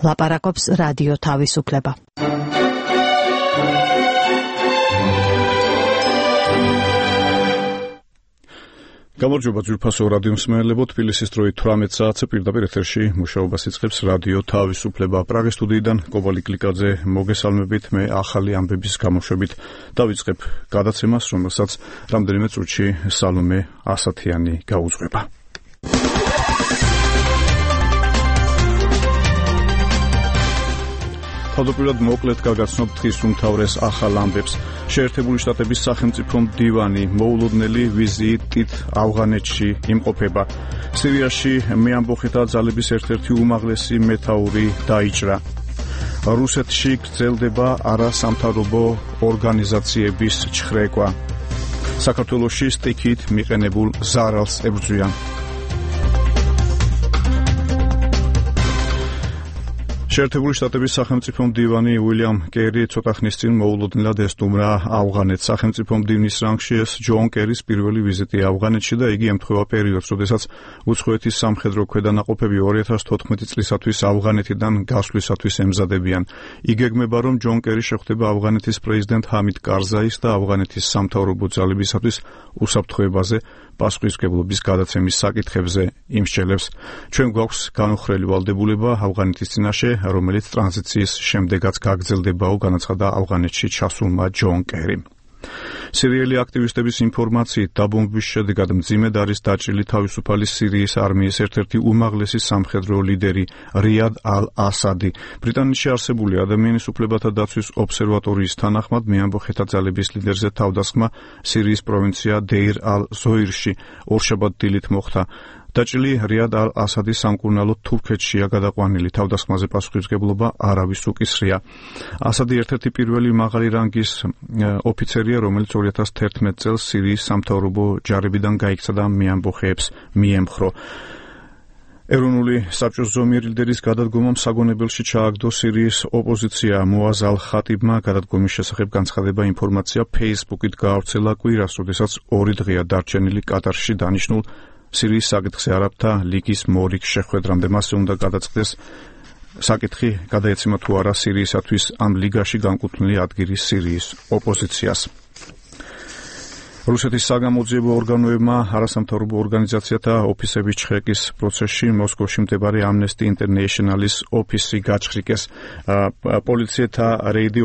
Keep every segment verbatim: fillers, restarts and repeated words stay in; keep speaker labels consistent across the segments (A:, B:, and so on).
A: ლაპარაკობს რადიო თავისუფლება.
B: გამარჯობა ძვირფასო რადიო მსმენელებო, თბილისის დროით თვრამეტ საათზე პირდაპირ ეთერში მუშაობას იწყებს რადიო თავისუფლება. პრაღის სტუდიიდან კობალი გლიკაძე მოგესალმებით, მე ახალი ამბების გამოშვებით დავიწყებ გადაცემას, რომელსაც რამდენიმე წუთში სალომე ასათიანი გაუძღვება. თავდაპირველად მოკლედ გაგაცნობ დღის უმთავრეს ახალ ამბებს. შეერთებული შტატების სახელმწიფო მდივანი მოულოდნელი ვიზიტით ავღანეთში იმყოფება. სირიაში მეამბოხეთა ძალების ერთ-ერთი უმაღლესი მეთაური დაიჭრა. რუსეთში გრძელდება არასამთავრობო ორგანიზაციების ჩხრეკვა. საქართველოში სტიქით მიყენებულ ზარალს ებრძვიან. შეერთებული შტატების სახელმწიფო მდივანი უილიამ კერი ცოტა ხნის წინ მოულოდნელად ესტუმრა ავღანეთს. სახელმწიფო მდივნის რანგში ეს ჯონ კერის პირველი ვიზიტი ავღანეთში და იგი ემთხვევა პერიოდს, როდესაც უცხოეთის სამხედრო ქვედანაყოფები ორი ათას თოთხმეტი წლისათვის ავღანეთიდან გასვლისათვის ემზადებიან. იგეგმება, რომ ჯონ კერი შეხვდება ავღანეთის პრეზიდენტ ჰამიდ კარზაის და ავღანეთის სამთავრობო ძალებისათვის უსაფრთხოებაზე პასუხისმგებლობის გადაცემის საკითხებზე იმსჯელებს. ჩვენ გვაქვს განუხრელი ვალდებულება ავღანეთის წინაშე, რომელიც ტრანზიციის შემდეგაც გაგრძელდებაო, განაცხადა ავღანეთში ჩასულმა ჯონ კერიმ. სირიელი აქტივისტების ინფორმაციით დაბომბვის შედეგად მძიმედ არის დაჭრილი თავისუფალი სირიის არმიის ერთ-ერთი უმაღლესი სამხედრო ლიდერი რიად ალ-ასადი. ბრიტანეთში არსებული ადამიანის უფლებათა დაცვის ობსერვატორიის თანახმად მეამბოხეთა ძალების ლიდერზე თავდასხმა სირიის პროვინცია დეირ ალ-ზოირში ორშაბათ დილით მოხდა. დაჭრილი რიად ალ-ასადი სამკურნალოდ თურქეთშია გადაყვანილი. თავდასხმაზე პასუხისმგებლობა არავის უკისრია. ასადი ერთ-ერთი პირველი მაღალი რანგის ოფიცერია, რომელიც ორი ათას თერთმეტ წელს სირიის სამთავრობო ჯარებიდან გაიქცა და მეამბოხეებს მიემხრო. ეროვნული საბჭოს ზომიერი ლიდერის გადადგომამ საგონებელში ჩააგდო სირიის ოპოზიცია. მოაზ ალ-ხატიბმა გადადგომის შესახებ განცხადება ინფორმაცია ფეისბუქით გაავრცელა კვირას, როდესაც ორი დღეა დარჩენილი კატარში დანიშნულ სირიის საკითხზე არაბთა ლიგის მორიგ შეხვედრამდე. მასზე უნდა გადაწყდეს საკითხი, გადაეცემა თუ არა სირიისათვის ამ ლიგაში განკუთვნილი ადგილი სირიის ოპოზიციას. რუსეთის საგამოძიებო ორგანოებმა არასამთავრობო ორგანიზაციათა ოფისების ჩხრეკის პროცესში მოსკოვში მდებარე ამნესტი ინტერნეიშნალის ოფისი გაჩხრიკეს. პოლიციათა რეიდი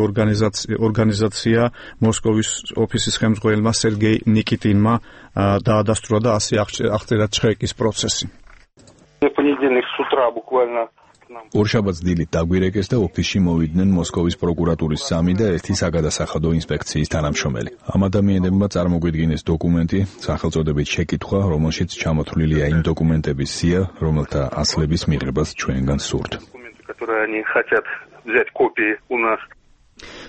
B: ორგანიზაცია მოსკოვის ოფისის ხელმძღვანელმა სერგეი ნიკიტინმა დაადასტურა და ასე აღწერა ჩხრეკის პროცესი.
C: ორშაბათს დილით დაგვირეკეს და ოფისში მოვიდნენ მოსკოვის პროკურატურის სამი და ერთი საგადასახადო ინსპექციის თანამშრომელი. ამ ადამიანებმა წარმოგვიდგინეს დოკუმენტი, სახელწოდებით შეკითხვა, რომელშიც ჩამოთვლილია იმ დოკუმენტების სია, რომელთა ასლების მიღებას ჩვენგან სურთ.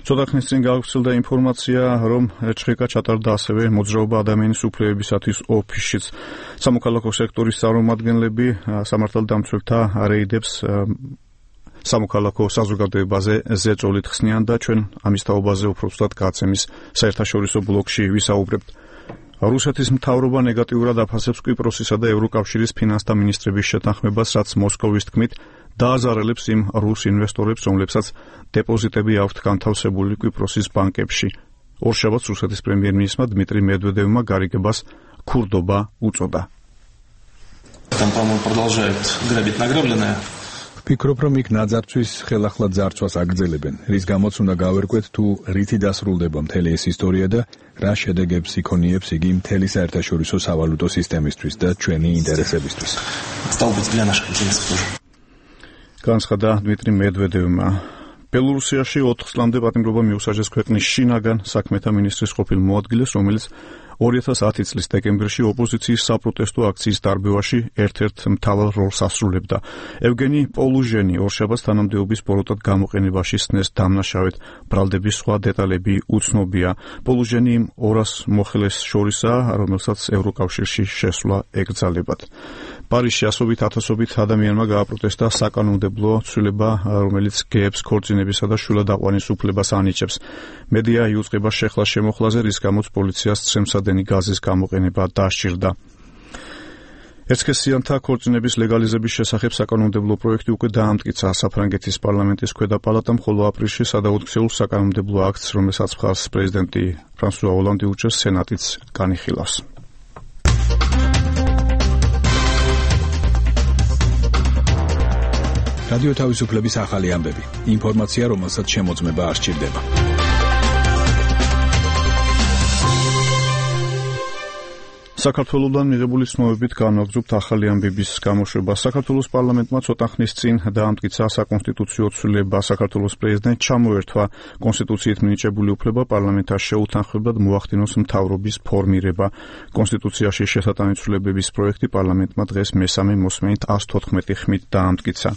B: ცოტა ხნის წინ გავრცელდა ინფორმაცია, რომ ჩხრეკა ჩატარდა ასევე მოძრაობა ადამიანის უფლებებისათვის ოფისშიც. სამოქალაქო სექტორის წარმომადგენლები სამართალდამცველთა რეიდებს სამოქალაქო საზოგადოებაზე ზეწოლით ხსნიან და ჩვენ ამის თაობაზე უფრო ზუსტად გადაცემის საერთაშორისო ბლოკში ვისაუბრებთ. რუსეთის მთავრობა ნეგატიურად აფასებს კვიპროსისა და ევროკავშირის ფინანსთა მინისტრების შეთანხმებას, რაც მოსკოვის თქმით დააზარალებს იმ რუს ინვესტორებს, რომლებსაც დეპოზიტები აქვთ განთავსებული კვიპროსის ბანკებში. ორშაბათს რუსეთის პრემიერ-მინისტრმა დმიტრი მედვედევმა გარიგებას ქურდობა უწოდა.
C: ვფიქრობ, რომ იქ ნაძარცვის ხელახლა ძარცვას აგრძელებენ, რის გამოც უნდა გავერკვეთ თუ რითი დასრულდება მთელი ეს ისტორია და რა შედეგებს იქონიებს იგი მთელი საერთაშორისო სავალუტო სისტემისთვის და ჩვენი ინტერესებისთვის.
B: განცხადა დმიტრი მედვედევმა. ბელორუსიაში ოთხ წლამდე პატიმრობა მიუსაჯეს ქვეყნის შინაგან საქმეთა მინისტრის ყოფილ მოადგილეს, რომელიც ორი ათას ათი წლის დეკემბერში ოპოზიციის საპროტესტო აქციის დარბევაში ერთ-ერთ მთავარ როლს ასრულებდა. ევგენი პოლუჟენი ორშაბათს თანამდებობის ბოროტად გამოყენებაში სცნეს დამნაშავედ. ბრალდების სხვა დეტალები უცნობია. პოლუჟენი იმ ორას მოხელეს შორისაა, რომელსაც ევროკავშირში შესვლა ეკრძალებათ. პარიზში ასობით ათასობით ადამიანმა გააპროტესტა საკანონმდებლო ცვლილება, რომელიც გეებს ქორწინებისა და შვილადაყვანის უფლებას ანიჭებს. მედია იუწყება შეხლა შემოხლაზე, რის გამოც პოლიციას ცრემსადენი გაზის გამოყენება დასჭირდა. ეცქესიანთა ქორწინების ლეგალიზების შესახებ საკანონმდებლო პროექტი უკვე დაამტკიცა საფრანგეთის პარლამენტის ქვედა პალატამ, ხოლო აპრილში სადაუქცეულ საკანონმდებლო აქტს, რომელსაც მხარს პრეზიდენტი ფრანსუა ოლანდი უჭერს, სენატიც განიხილავს.
C: რადიო თავისუფლების ახალი ამბები. ინფორმაცია, რომელსაც შემოწმება არ სჭირდება.
B: საქართველოსთან მიღებული ცნობებით განვაგრძობთ ახალი ამბების გამოშვება. საქართველოს პარლამენტმა ცოტა ხნის წინ დაამტკიცა საკონსტიტუციო ცვლილება. საქართველოს პრეზიდენტს ჩამოერთვა კონსტიტუციით მინიჭებული უფლება პარლამენტას შეუთანხმებლად მოახდინოს მთავრობის ფორმირება. კონსტიტუციაში შესატანი ცვლილებების პროექტი პარლამენტმა დღეს მესამე მოსმენით ას თოთხმეტი ხმით დაამტკიცა.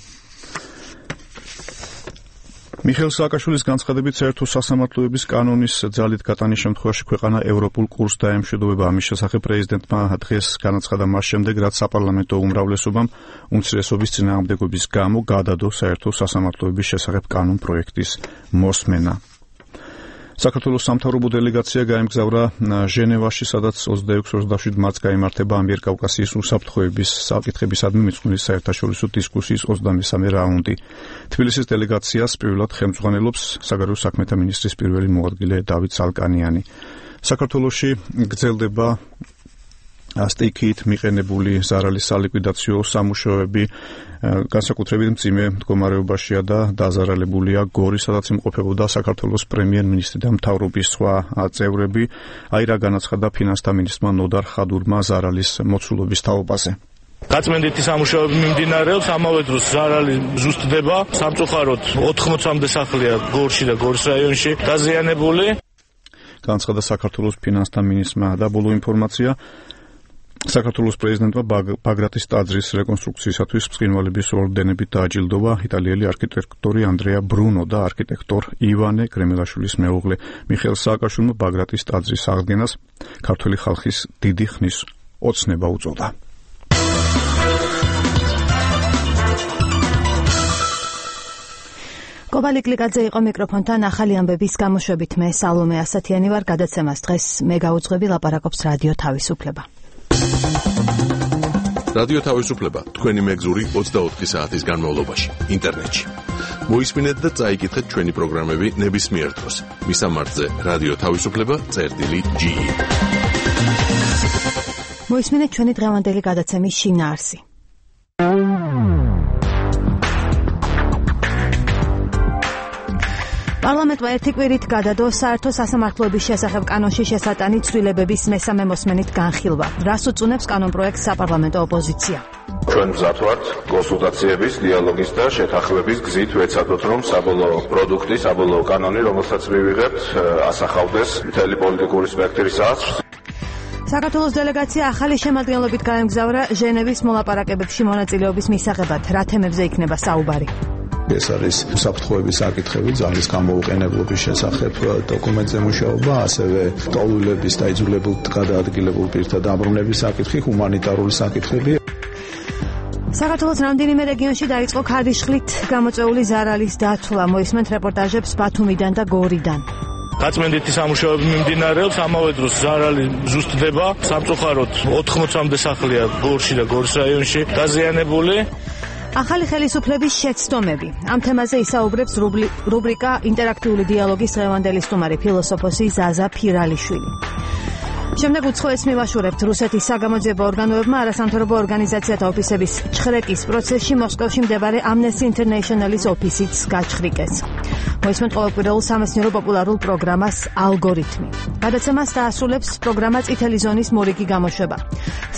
B: მიხეილ სააკაშვილის განცხადებით, საერთო სასამართლოების კანონის ძალით გატანის შემთხვევაში ქვეყანა ევროპულ კურსს დაემშვიდობება. ამის შესახებ პრეზიდენტმა დღეს განაცხადა მას შემდეგ, რაც საპარლამენტო უმრავლესობამ უმცირესობის წინააღმდეგობის გამო გადადო საერთო სასამართლოების შესახებ კანონ პროექტის მოსმენა. საქართველოს სამთავრობო დელეგაცია გაემგზავრა ჟენევაში, სადაც ოცდაექვსი ოცდაშვიდ მარტს გაიმართება ამიერკავკასიის უსაფრთხოების საკითხებისადმი მიძღვნილი საერთაშორისო დისკუსიის ოცდამესამე რაუნდი. თბილისის დელეგაციას პირველად ხელმძღვანელობს საგარეო საქმეთა მინისტრის პირველი მოადგილე დავით ცალკანიანი. საქართველოში გრძელდება სტიქით მიყენებული ზარალის სალიკვიდაციო სამუშაოები, განსაკუთრებით მძიმე მდგომარეობაშია და დაზარალებულია გორი, სადაც იმყოფებოდა საქართველოს პრემიერ-მინისტრი და მთავრობის სხვა წევრები. აი რა განაცხადა ფინანსთა მინისტრმა ნოდარ ხადურმა ზარალის მოცულობის თაობაზე.
D: გაწმენდითი სამუშაოები მიმდინარეობს, ამავე დროს ზარალი ზუსტდება. სამწუხაროდ ოთხმოცამდე სახლია გორში და გორის რაიონში დაზიანებული.
B: განაცხადა საქართველოს ფინანსთა მინისტრმა და ბოლო ინფორმაცია. საქართველოს პრეზიდენტმა ბაგრატის ტაძრის რეკონსტრუქციისათვის ბრწყინვალების ორდენებით დააჯილდოვა იტალიელი არქიტექტორი ანდრეა ბრუნო და არქიტექტორ ივანე კრემელაშვილის მეუღლე. მიხეილ სააკაშვილმა ბაგრატის ტაძრის აღდგენას ქართველი ხალხის დიდი ხნის ოცნება უწოდა.
A: კობალი კლიკაძე იყო მიკროფონთან ახალი ამბების გამოშვებით. მე სალომე ასათიანი ვარ. გადაცემას დღეს მე გაუძღვები, ლაპარაკობს რადიო თავისუფლება.
E: რადიო თავისუფლება თქვენი მეგზური ოცდაოთხი საათის განმავლობაში ინტერნეტში. მოისმინეთ და წაიკითხეთ ჩვენი პროგრამები ნებისმიერ დროს. მისამართზე რადიო თავისუფლება წერტილი ჯი.
A: მოისმინეთ ჩვენი დღევანდელი გადაცემის შინაარსი. პარლამენტმა ერთი კვირით გადადო საერთო სასამართლოების შესახებ კანონში შესატანი ცვლილებების მესამე მოსმენით განხილვა. რას უწუნებს კანონპროექტს საპარლამენტო ოპოზიცია?
F: ჩვენ მზად ვართ კონსულტაციების, დიალოგის და შეთანხმების გზით ვეცადოთ, რომ საბოლოო პროდუქტი, საბოლოო კანონი, რომელსაც მივიღებთ, ასახავდეს მთელი პოლიტიკური სპექტრის აზრს.
A: საქართველოს დელეგაცია ახალი შემადგენლობით გაემგზავრა ჟენევის მოლაპარაკებებში მონაწილეობის მისაღებად. რა თემებზე იქნება საუბარი?
G: ეს არის უსაფრთხოების საკითხები, ძალის გამოუყენებლობის შესახებ დოკუმენტზე მუშაობა, ასევე ტოლულების და იძულებულ გადაადგილებულ პირთა დაბრუნების საკითხი, ჰუმანიტარული საკითხები.
A: საქართველოს რამდენიმე რეგიონში დაიწყო ქარიშხლით გამოწვეული ზარალის დათვლა. მოისმენთ რეპორტაჟებს ბათუმიდან და გორიდან.
D: გაწმენდითი სამუშაოები მიმდინარეობს, ამავე დროს ზარალი ზუსტდება. სამწუხაროდ ოთხმოცამდე სახლია გორში და გორის რაიონში დაზიანებული.
A: ახალი ხელისუფლების შეცდომები. ამ თემაზე ისაუბრებს რუბრიკა ინტერაქტიული დიალოგის დღევანდელი სტუმარი ფილოსოფოსი ზაზა ფირალიშვილი. შემდეგ უცხოეთს მივაშურებთ რუსეთის საგამოძიებო ორგანოებმა არასამთავრობო ორგანიზაციათა ოფისების ჩხრეკის პროცესში მოსკოვში მდებარე Amnesty International-ის ოფისიც გაჩხრიკეს. მოისმენთ ყოველკვირეულ სამეცნიერო პოპულარულ პროგრამას ალგორითმი. გადაცემას დაასრულებს პროგრამა წითელი ზონის მორიგი გამოშვება.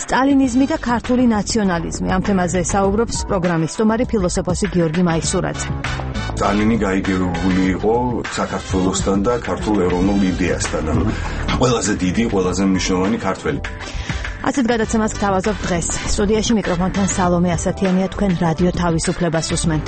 A: სტალინიზმი და ქართული ნაციონალიზმი. ამ თემაზე საუბრობს პროგრამის სტუმარი ფილოსოფოსი გიორგი მაისურაძე.
H: სტალინი გაიგებებული იყო საქართველოსთან და ქართულ ეროვნულ იდეასთან. ყველაზე დიდი, ყველაზე მნიშვნელოვანი ქართველი.
A: ასეთ გადაცემას გთავაზობთ დღეს. სტუდიაში მიკროფონთან სალომე ასათიანია, თქვენ რადიო თავისუფლებას უსმენთ.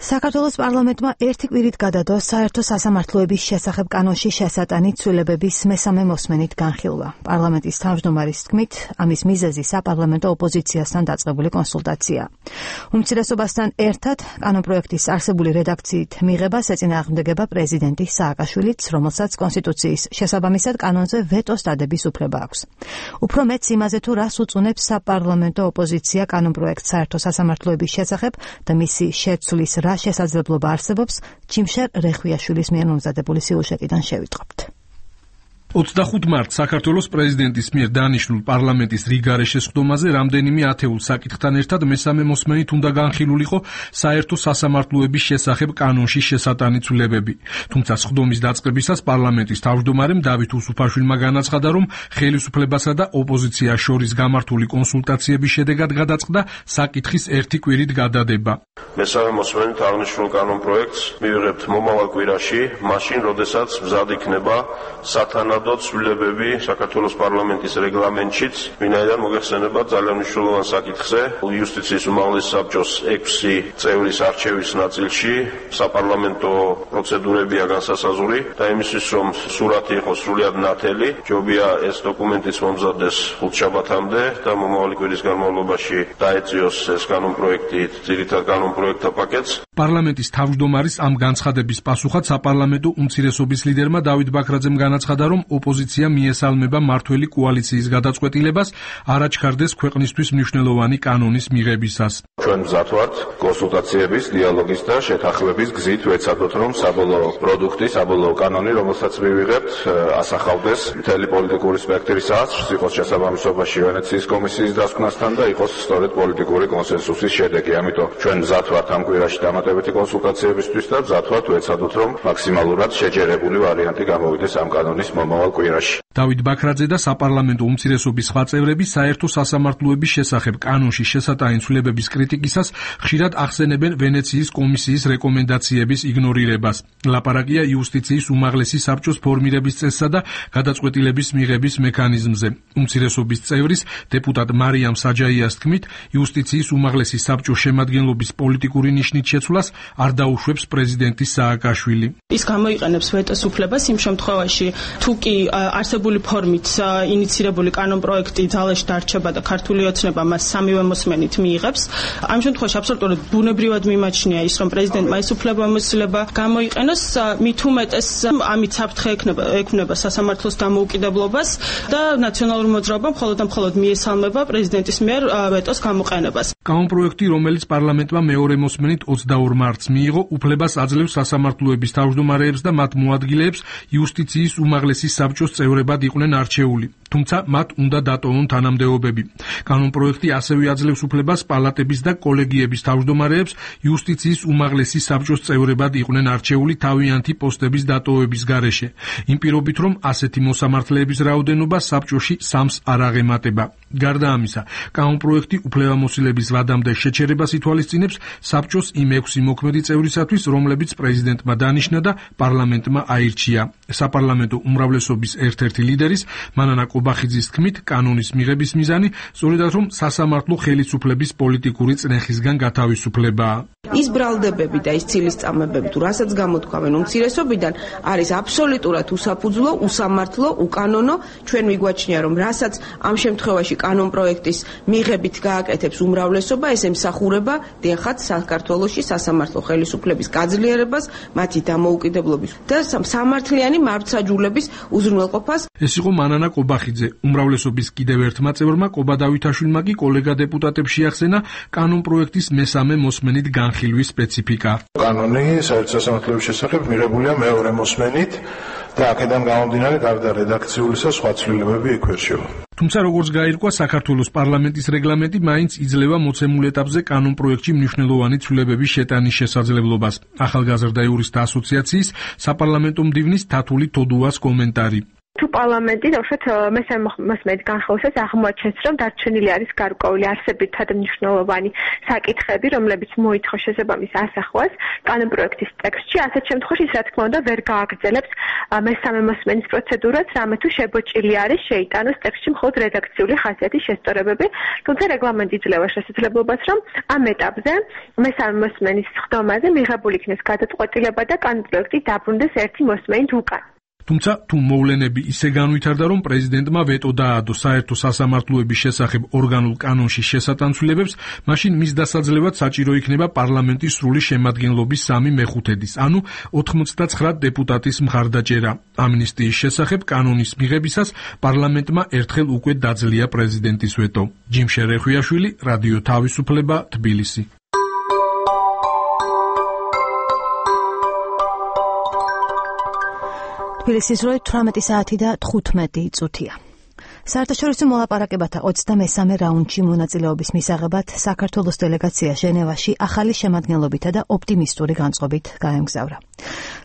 A: საქართველოს პარლამენტმა ერთი კვირით გადადო საერთო სასამართლოების შესახებ კანონში შესატანი ცვლილებების მესამე მოსმენით განხილვა. პარლამენტის თავმჯდომარის თქმით, ამის მიზეზი საპარლამენტო ოპოზიციასთან დაწყებული კონსულტაცია. უმცირესობასთან ერთად კანონპროექტის არსებული რედაქციით მიღებას ეწინააღმდეგება პრეზიდენტი სააკაშვილიც, რომელსაც კონსტიტუციის შესაბამისად კანონზე ვეტოს დადების უფლება აქვს. უფრო მეც იმაზე თუ რას უწუნებს საპარლამენტო ოპოზიცია კანონპროექტ საერთო სასამართლოების შესახებ და მისი შეცვლის რა შესაძლებლობა არსებობს, ჩიმშერ რეხვიაშვილის მიერ მომზადებული სიუჟეტიდან შევიტყობთ.
I: ოცდახუთ მარტს საქართველოს პრეზიდენტის მიერ დანიშნულ პარლამენტის რიგარე შესხდომაზე რამდენიმე ათეულ საკითხთან ერთად მესამე მოსმენით უნდა განხილულიყო საერთო სასამართლოების შესახებ კანონში შესატანი ცვლილებები. თუმცა სხდომის დაწყებისას პარლამენტის თავმჯდომარემ დავით უსუფაშვილმა განაცხადა, რომ ხელისუფლებასა და ოპოზიციას შორის გამართული კონსულტაციების შედეგად გადაწყდა საკითხის ერთი კვირით გადადება.
F: მესამე მოსმენით აღნიშნულ კანონპროექტს მივიღებთ მომავალ კვირაში, მაშინ, როდესაც მზად იქნება სათანადო ცვლილებები საქართველოს პარლამენტის რეგლამენტშიც, ვინაიდან მოგეხსენება ძალიან მნიშვნელოვან საკითხზე, იუსტიციის უმაღლესი საბჭოს ექვსი წევრის არჩევის ნაწილში საპარლამენტო პროცედურებია განსასაზღვრი და იმისთვის, რომ სურათი იყოს სრულიად ნათელი, ჯობია ეს დოკუმენტიც მომზადდეს ხუთშაბათამდე და მომავალი კვირის განმავლობაში დაეწიოს ეს კანონპროექტი ძირითად კანონპროექტთა პაკეტს.
I: პარლამენტის თავმჯდომარის ამ განცხადების პასუხად საპარლამენტო უმცირესობის ლიდერმა დავით ბაქრაძემ განაცხადა, რომ ოპოზიცია მიესალმება მართველი კოალიციის გადაწყვეტილებას არ აჩქარდეს ქვეყნისთვის მნიშვნელოვანი კანონის მიღებისას.
F: ჩვენ მზად ვართ კონსულტაციების, დიალოგის და შეთანხმების გზით ვეცადოთ, რომ საბოლოო პროდუქტი, საბოლოო კანონი, რომელსაც მივიღებთ, ასახავდეს მთელი პოლიტიკური სპექტრის აზრს, იყოს შესაბამისობაში ვენეციის კომისიის დასკვნასთან და იყოს სწორედ პოლიტიკური კონსენსუსის შედეგი. ამიტომ ჩვენ მზად ვართ ამ კვირაში დამატებითი კონსულტაციებისთვის და მზად ვართ ვეცადოთ, რომ მაქსიმალურად შეჯერებული ვარიანტი გამოვიდეს ამ კანონის მომავალ კვირაში.
I: დავით ბაქრაძე და საპარლამენტო უმცირესობის სხვა წევრები საერთო სასამართლოების შესახებ კანონში შესატანი ცვლილებების კრიტიკისას ხშირად ახსენებენ ვენეციის კომისიის რეკომენდაციების იგნორირებას. ლაპარაკია იუსტიციის უმაღლესი საბჭოს ფორმირების წესსა და გადაწყვეტილების მიღების მექანიზმზე. უმცირესობის წევრის დეპუტატ მარიამ საჯაიას თქმით, იუსტიციის უმაღლესი საბჭოს შემადგენლობის პოლიტიკური ნიშნით შეცვლას არ დაუშვებს პრეზიდენტი სააკაშვილი.
J: ის გამოიყენებს ვეტოს უფლებას იმ შემთხვევაში, თუ კი არსებული ფორმით ინიცირებული კანონპროექტი ძალაში დარჩება და ქართული ოცნება მას სამივე მოსმენით მიიღებს. ამ შემთხვევაში აბსოლუტურად ბუნებრივად მიმაჩნია ის, რომ პრეზიდენტმა ეს უფლებამოსილება გამოიყენოს, მით უმეტეს ამით საფრთხე ექნება ექმნება სასამართლოს დამოუკიდებლობას და ნაციონალურ მოძრაობამ მხოლოდ და მხოლოდ მიესალმება პრეზიდენტის მიერ ვეტოს გამოყენებას.
I: კანონპროექტი, რომელიც პარლამენტმა მეორე მოსმენით ოცდაორ მარტს მიიღო, უფლებას აძლევს სასამართლოების თავმჯდომარეებს და მათ მოადგილეებს იუსტიციის უმაღლესი საბჭოს წევრებად იყვნენ არჩეული. თუმცა მათ უნდა დატოვონ თანამდებობები. კანონპროექტი ასევე აძლევს უფლებას პალატების და კოლეგიების თავმჯდომარეებს იუსტიციის უმაღლესი საბჭოს წევრებად იყვნენ არჩეული თავიანთი პოსტების დატოვების გარეშე. იმ პირობით, რომ ასეთი მოსამართლეების რაოდენობა საბჭოში სამს არ აღემატება. გარდა ამისა, კანონპროექტი უფლებამოსილების ვადამდე შეჩერებას ითვალისწინებს საბჭოს იმ ექვსი მოქმედი წევრისათვის, რომლებიც პრეზიდენტმა დანიშნა და პარლამენტმა აირჩია. საპარლამენტო უმრავლესობის ერთ-ერთი ლიდერის მანანა კობახიძის თქმით, კანონის მიღების მიზანი სწორედაც რომ სასამართლო ხელისუფლების პოლიტიკური წნეხისგან გათავისუფლებაა.
K: ის ბრალდებები და ის ცილისწამებები, თუ რასაც გამოთქვამენ უმცირესობიდან, არის აბსოლუტურად უსაფუძვლო, უსამართლო, უკანონო. ჩვენ მიგვაჩნია, რომ რასაც ამ შემთხვევაში კანონპროექტის მიღებით გააკეთებს უმრავლესობა, ეს ემსახურება დიახაც საქართველოში სასამართლო ხელისუფლების გაძლიერებას, მათი დამოუკიდებლობის და სამართლიანი მართლმსაჯულების უზრუნველყოფას.
I: ეს იყო მანანა კობახიძე. უმრავლესობის კიდევ ერთმა წევრმა კობა დავითაშვილმა კი კოლეგა დეპუტატებს შეახსენა კანონპროექტის მესამე მოსმენით განხილვის სპეციფიკა.
L: კანონი საერთო სასამართლოების შესახებ მიღებულია მეორე მოსმენით და აქედან გამომდინარე გარდა რედაქციულისა სხვა ცვლილებები იქ ვერ შევა.
I: თუმცა როგორც გაირკვა, საქართველოს პარლამენტის რეგლამენტი მაინც იძლევა მოცემულ ეტაპზე კანონპროექტში მნიშვნელოვანი ცვლილებების შეტანის შესაძლებლობას. ახალგაზრდა იურისტთა ასოციაციის საპარლამენტო მდივნის თათული თოდუას კომენტარი.
M: თუ პარლამენტი უშოთ მესამე მოსმენით განხილვისას აღმოაჩენს, რომ დარჩენილი არის გარკვეული არსებითად მნიშვნელოვანი საკითხები, რომლებიც მოითხოვს შესაბამის ასახვას კანონპროექტის ტექსტში, ასეთ შემთხვევაში რა თქმა უნდა ვერ გააგრძელებს მესამე მოსმენის პროცედურას, რამე თუ შებოჭილი არის შეიტანოს ტექსტში მხოლოდ რედაქციული ხასიათის შესწორებები, თუმცა რეგლამენტი იძლევა შესაძლებლობას, რომ ამ ეტაპზე მესამე მოსმენის ხდომაზე მიღებული იქნეს გადაწყვეტილება და კანონპროექტი დაბრუნდეს ერთი მოსმენით უკან.
I: თუმცა თუ მოვლენები ისე განვითარდა, რომ პრეზიდენტმა ვეტო დაადო საერთო სასამართლოების შესახებ ორგანულ კანონში შესატანცვლებებს, მაშინ მის დასაძლევად საჭირო იქნება პარლამენტის სრული შემადგენლობის სამი მეხუთედის, ანუ ოთხმოცდაცხრა დეპუტატის მხარდაჭერა. ამნისტიის შესახებ კანონის მიღებისას პარლამენტმა ერთხელ უკვე დაძლია პრეზიდენტის ვეტო. ჯიმ შერეხვიაშვილი, რადიო თავისუფლება, თბილისი.
A: თბილისის დროით თვრამეტი საათი და თხუთმეტი წუთია. საერთაშორისო მოლაპარაკებათა ოცდამესამე რაუნდში მონაწილეობის მისაღებად საქართველოს დელეგაცია ჟენევაში ახალი შემადგენლობითა და ოპტიმისტური განწყობით გაემგზავრა.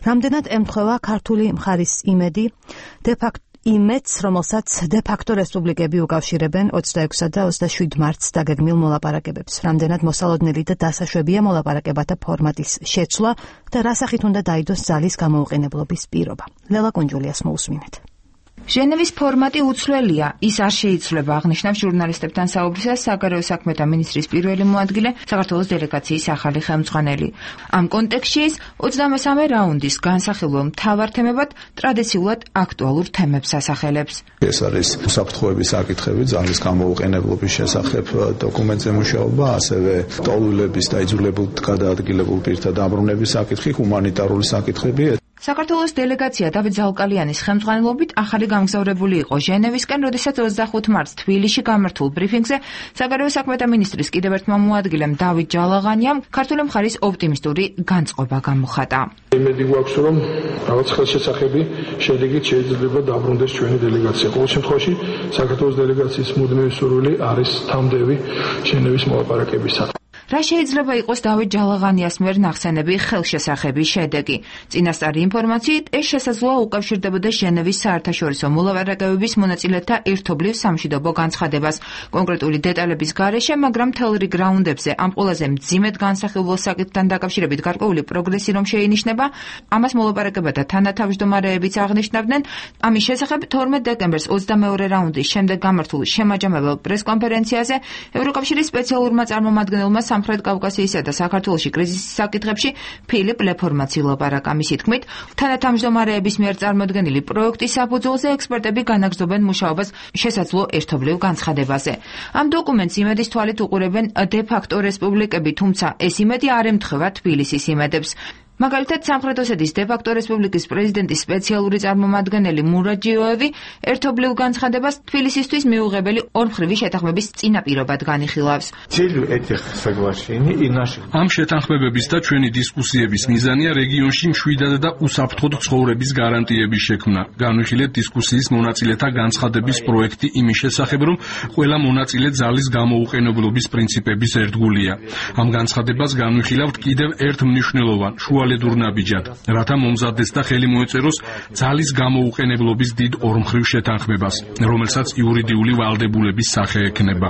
A: რამდენად ემთხვევა ქართული მხარის იმედი, დე-ფაქტო იმედს, რომელსაც დე-ფაქტო რესპუბლიკები უკავშირებენ ოცდაექვსა და ოცდაშვიდ მარტს დაგეგმილ მოლაპარაკებებს. რამდენად მოსალოდნელი და დასაშვებია მოლაპარაკებათა ფორმატის შეცვლა და რა სახით უნდა დაიდოს ძალის გამოუყენებლობის პირობა. ლელა კუნჯულიას მოусმინეთ.
N: ჟენევის ფორმატი უცვლელია, ის არ შეიცვლება, აღნიშნავს ჟურნალისტებთან საუბრისას საგარეო საქმეთა მინისტრის პირველი მოადგილე, საქართველოს დელეგაციის ახალი ხელმძღვანელი. ამ კონტექსტში ის ოცდამესამე რაუნდის განსახილველ მთავარ თემებად ტრადიციულად აქტუალურ თემებს ასახელებს.
G: ეს არის უსაფრთხოების საკითხები, ძალის გამოუყენებლობის შესახებ დოკუმენტზე მუშაობა, ასევე ტოლულების და იძულებულ გადაადგილებულ პირთა დაბრუნების საკითხი, ჰუმანიტარული საკითხები.
N: საქართველოს დელეგაცია დავით ზალკალიანის ხელმძღვანელობით ახალი გამგზავრებული იყო ჟენევისკენ, როდესაც ოცდახუთ მარტს თბილისში გამართულ ბრიფინგზე საგარეო საქმეთა მინისტრის კიდევ ერთმა მოადგილემ დავით ჯალაღანიამ ქართული მხარის ოპტიმისტური განწყობა გამოხატა.
O: იმედი გვაქვს, რომ რაღაც ხელშესახები შედეგით შეიძლება დაბრუნდეს ჩვენი დელეგაცია. ყოველ შემთხვევაში საქართველოს დელეგაციის მუდმივი სურვილი არის თამდევი ჟენევის მოლაპარაკებისა.
N: რა შეიძლება იყოს დავით ჯალაღანიას მიერ ნახსენები ხელშესახების შედეგი? წინასწარი ინფორმაციით, ეს შესაძლოა უკავშირდებოდა ჟენევის საერთაშორისო მოლაპარაკებების მონაწილეთა ერთობლივ სამშვიდობო განცხადებას. კონკრეტული დეტალების გარეშე, მაგრამ მთელ რიგ რაუნდებზე ამ ყველაზე მძიმედ განსახილველ საკითხთან დაკავშირებით გარკვეული პროგრესი რომ შეინიშნება, ამას მოლაპარაკებათა თანათავმჯდომარეებიც აღნიშნავდნენ. ამის შესახებ თორმეტ დეკემბერს ოცდამეორე რაუნდის შემდეგ გამართულ შემაჯამებელ პრესკონფერენციაზე ევროკავშირის სპეციალურმა წარმომადგენელმა სამხრეთ კავკასიისა და საქართველოში კრიზისის საკითხებში ფილიპ ლეფორმაცი ლაპარაკა. მისი თქმით, თანათავმჯდომარეების მიერ წარმოდგენილი პროექტის საფუძველზე ექსპერტები განაგრძობენ მუშაობას შესაძლო ერთობლივ განცხადებაზე. ამ დოკუმენტს იმედის თვალით უყურებენ დე-ფაქტო რესპუბლიკები, თუმცა ეს იმედი არ ემთხვევა თბილისის იმედებს. მაგალითად, სამხრეთ ოსეთის დე-ფაქტო რესპუბლიკის პრეზიდენტის სპეციალური წარმომადგენელი მურაჯიოევი ერთობლივ განცხადებას თბილისისთვის მიუღებელი ორმხრივი შეთანხმების წინაპირობად განიხილავს.
I: ამ შეთანხმებების და ჩვენი დისკუსიების მიზანია რეგიონში მშვიდად და უსაფრთხოდ ცხოვრების გარანტიების შექმნა. განვიხილეთ დისკუსიის მონაწილეთა განცხადების პროექტი იმის შესახებ, რომ ყველა მონაწილე ძალის გამოუყენებლობის პრინციპების ერთგულია. ამ განცხადებას განვიხილავთ კიდევ ერთ მნიშვნელოვან შუალედურ ნაბიჯად, რათა მომზადდეს და ხელი მოეწეროს ძალის გამოუყენებლობის დიდ ორმხრივ შეთანხმებას, რომელსაც იურიდიული ვალდებულების სახე ექნება.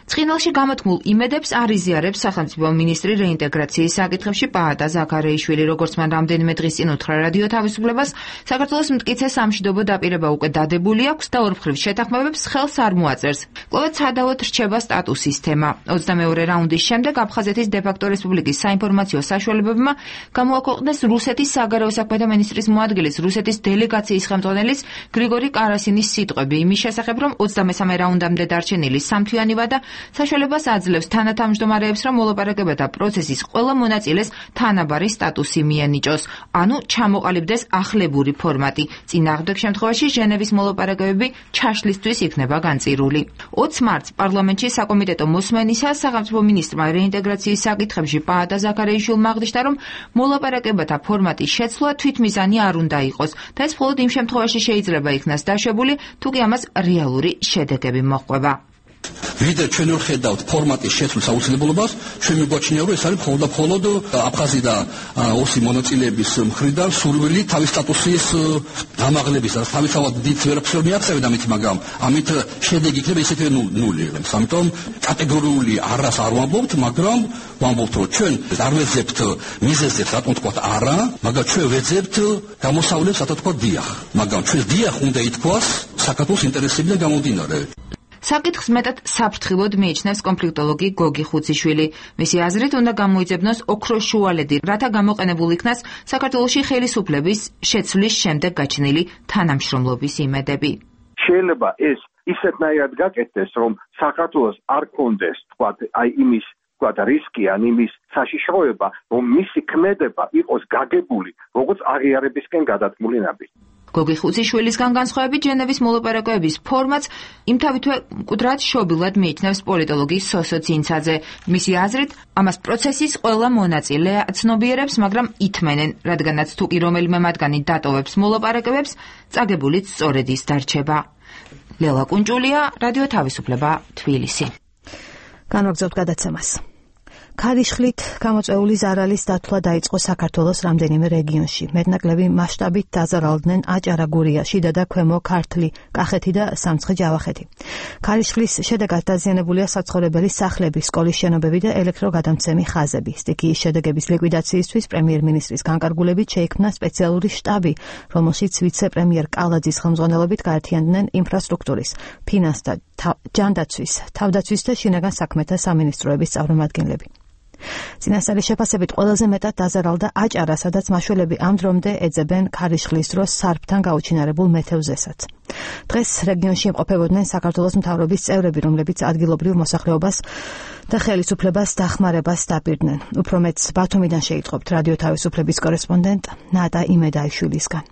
N: ცხინვალში გამოთქმულ იმედებს არ იზიარებს სახელმწიფო მინისტრი რეინტეგრაციის საკითხებში პაატა ზაქარეიშვილი, როგორც მან რამდენიმე დღის წინ უთხრა რადიო თავისუფლებას, საქართველოს მტკიცე სამშვიდობო დაპირება უკვე დადებული აქვს და ორმხრივ შეთანხმებებს ხელს არ მოაწერს. კვლავ ცადავად რჩება სტატუსის თემა. ოცდამეორე რაუნდის შემდეგ აფხაზეთის დე-ფაქტო რესპუბლიკის საინფორმაციო საშუალებებმა გამოაქვეყნეს რუსეთის საგარეო საქმეთა მინისტრის მოადგილის რუსეთის დელეგაციის ხელმძღვანელის გრიგორი კარასინის სიტყვები იმის შესახებ, რომ ოცდამესამე რაუნდამდე დარჩენილი სამთვიანი ვადა საშუალებას აძლევს თანათავმჯდომარეებს, რომ მოლაპარაკებათა პროცესის ყველა მონაწილეს თანაბარი სტატუსი მიენიჭოს, ანუ ჩამოყალიბდეს ახლებური ფორმატი. წინააღმდეგ შემთხვევაში ჟენევის მოლაპარაკებები ჩაშლისთვის იქნება განწირული. ოცს მარტს პარლამენტში საკომიტეტო მოსმენისა სახელმწიფო მინისტრმა რეინტეგრაციის საკითხებში პაატა ზაქარეიშვილმა აღნიშნა, რომ მოლაპარაკებათა ფორმატის შეცვლა თვითმიზანი არ უნდა იყოს და ეს მხოლოდ იმ შემთხვევაში შეიძლება იქნას დაშვებული, თუ კი ამას რეალური შედეგები მოჰყვება.
P: ვიდრე ჩვენ ვერ ხედავთ ფორმატის შეცვლის აუცილებლობას, ჩვენ მიგვაჩნია, რომ ეს არის მხოლოდ და მხოლოდ აფხაზი და ოსი მონაწილეების მხრიდან სურვილი თავის სტატუსის დამაღლების, რაც თავისთავად დიდ ვერაფერს ვერ მიაღწევენ ამით, მაგრამ ამით შედეგი იქნება ისეთივე ნული. ამიტომ კატეგორიული არას არ ვამბობთ, მაგრამ ვამბობთ, რომ ჩვენ არ ვეძებთ მიზეზებს, რატომ თქვა არა, მაგრამ ჩვენ ვეძებთ გამოსავლებს, რატომ თქვა დიახ. მაგრამ ჩვენ დიახ უნდა ითქვას საქართველოს ინტერესებიდან გამომდინარე.
N: საკითხს მეტად საფრთხილოდ მიიჩნევს კონფლიქტოლოგი გოგი ხუციშვილი. მისი აზრით უნდა გამოიძებნოს ოქროს შუალედი, რათა გამოყენებულ იქნას საქართველოში ხელისუფლების შეცვლის შემდეგ გაჩნილი თანამშრომლობის იმედები.
Q: შეიძლება ეს ისეთნაირად გაკეთდეს, რომ საქართველოს არ კონდეს, თქვა, აი იმის თქვა რისკი ან იმის საშიშროება, რომ მისი ქმედება იყოს გაგებული, როგორც აღიარებისკენ გადადგმული ნაბიჯი.
N: გოგი ხუციშვილისგან განსხვავებით, ჟენევის მოლაპარაკებების ფორმატს იმთავითვე მკვდრად შობილად მიიჩნევს პოლიტოლოგი სოსო ცინცაძე. მისი აზრით, ამას პროცესის ყველა მონაწილე აცნობიერებს, მაგრამ ითმენენ, რადგანაც თუ კი რომელიმე მათგანი დატოვებს მოლაპარაკებებს, წაგებულიც სწორედ ის დარჩება. ლელა კუნჭულია, რადიო თავისუფლება, თბილისი.
A: განვაგრძობთ გადაცემას. ქარიშხლით გამოწვეული ზარალის დათვლა დაიწყო საქართველოს რამდენიმე რეგიონში. მეტნაკლები მასშტაბით დაზარალდნენ აჭარა, გურია, შიდა და ქვემო ქართლი, კახეთი და სამცხე-ჯავახეთი. ქარიშხლის შედეგად დაზიანებულია საცხოვრებელი სახლები, სკოლის შენობები და ელექტროგადამცემი ხაზები. სტიქიის შედეგების ლიკვიდაციისთვის პრემიერ-მინისტრის განკარგულებით შეიქმნა სპეციალური შტაბი, რომელშიც ვიცე-პრემიერ კალაძის ხელმძღვანელობით გაერთიანდნენ ინფრასტრუქტურის, ფინანსთა, ჯანდაცვის, თავდაცვის და შინაგან საქმეთა სამინისტროების წარმომადგენლები. წინასწარი შეფასებით ყველაზე მეტად დაზარალდა აჭარა, სადაც მაშველები ამ დრომდე ეძებენ ქარიშხლის დროს სარფთან გაუჩინარებულ მეთევზესაც. დღეს რეგიონში იმყოფებოდნენ საქართველოს მთავრობის წევრები, რომლებიც ადგილობრივ მოსახლეობას და ხელისუფლებას დახმარებას დაპირდნენ. უფრო მეტს ბათუმიდან შეიტყობთ რადიო თავისუფლების კორესპონდენტ ნატა იმედაიშვილისგან.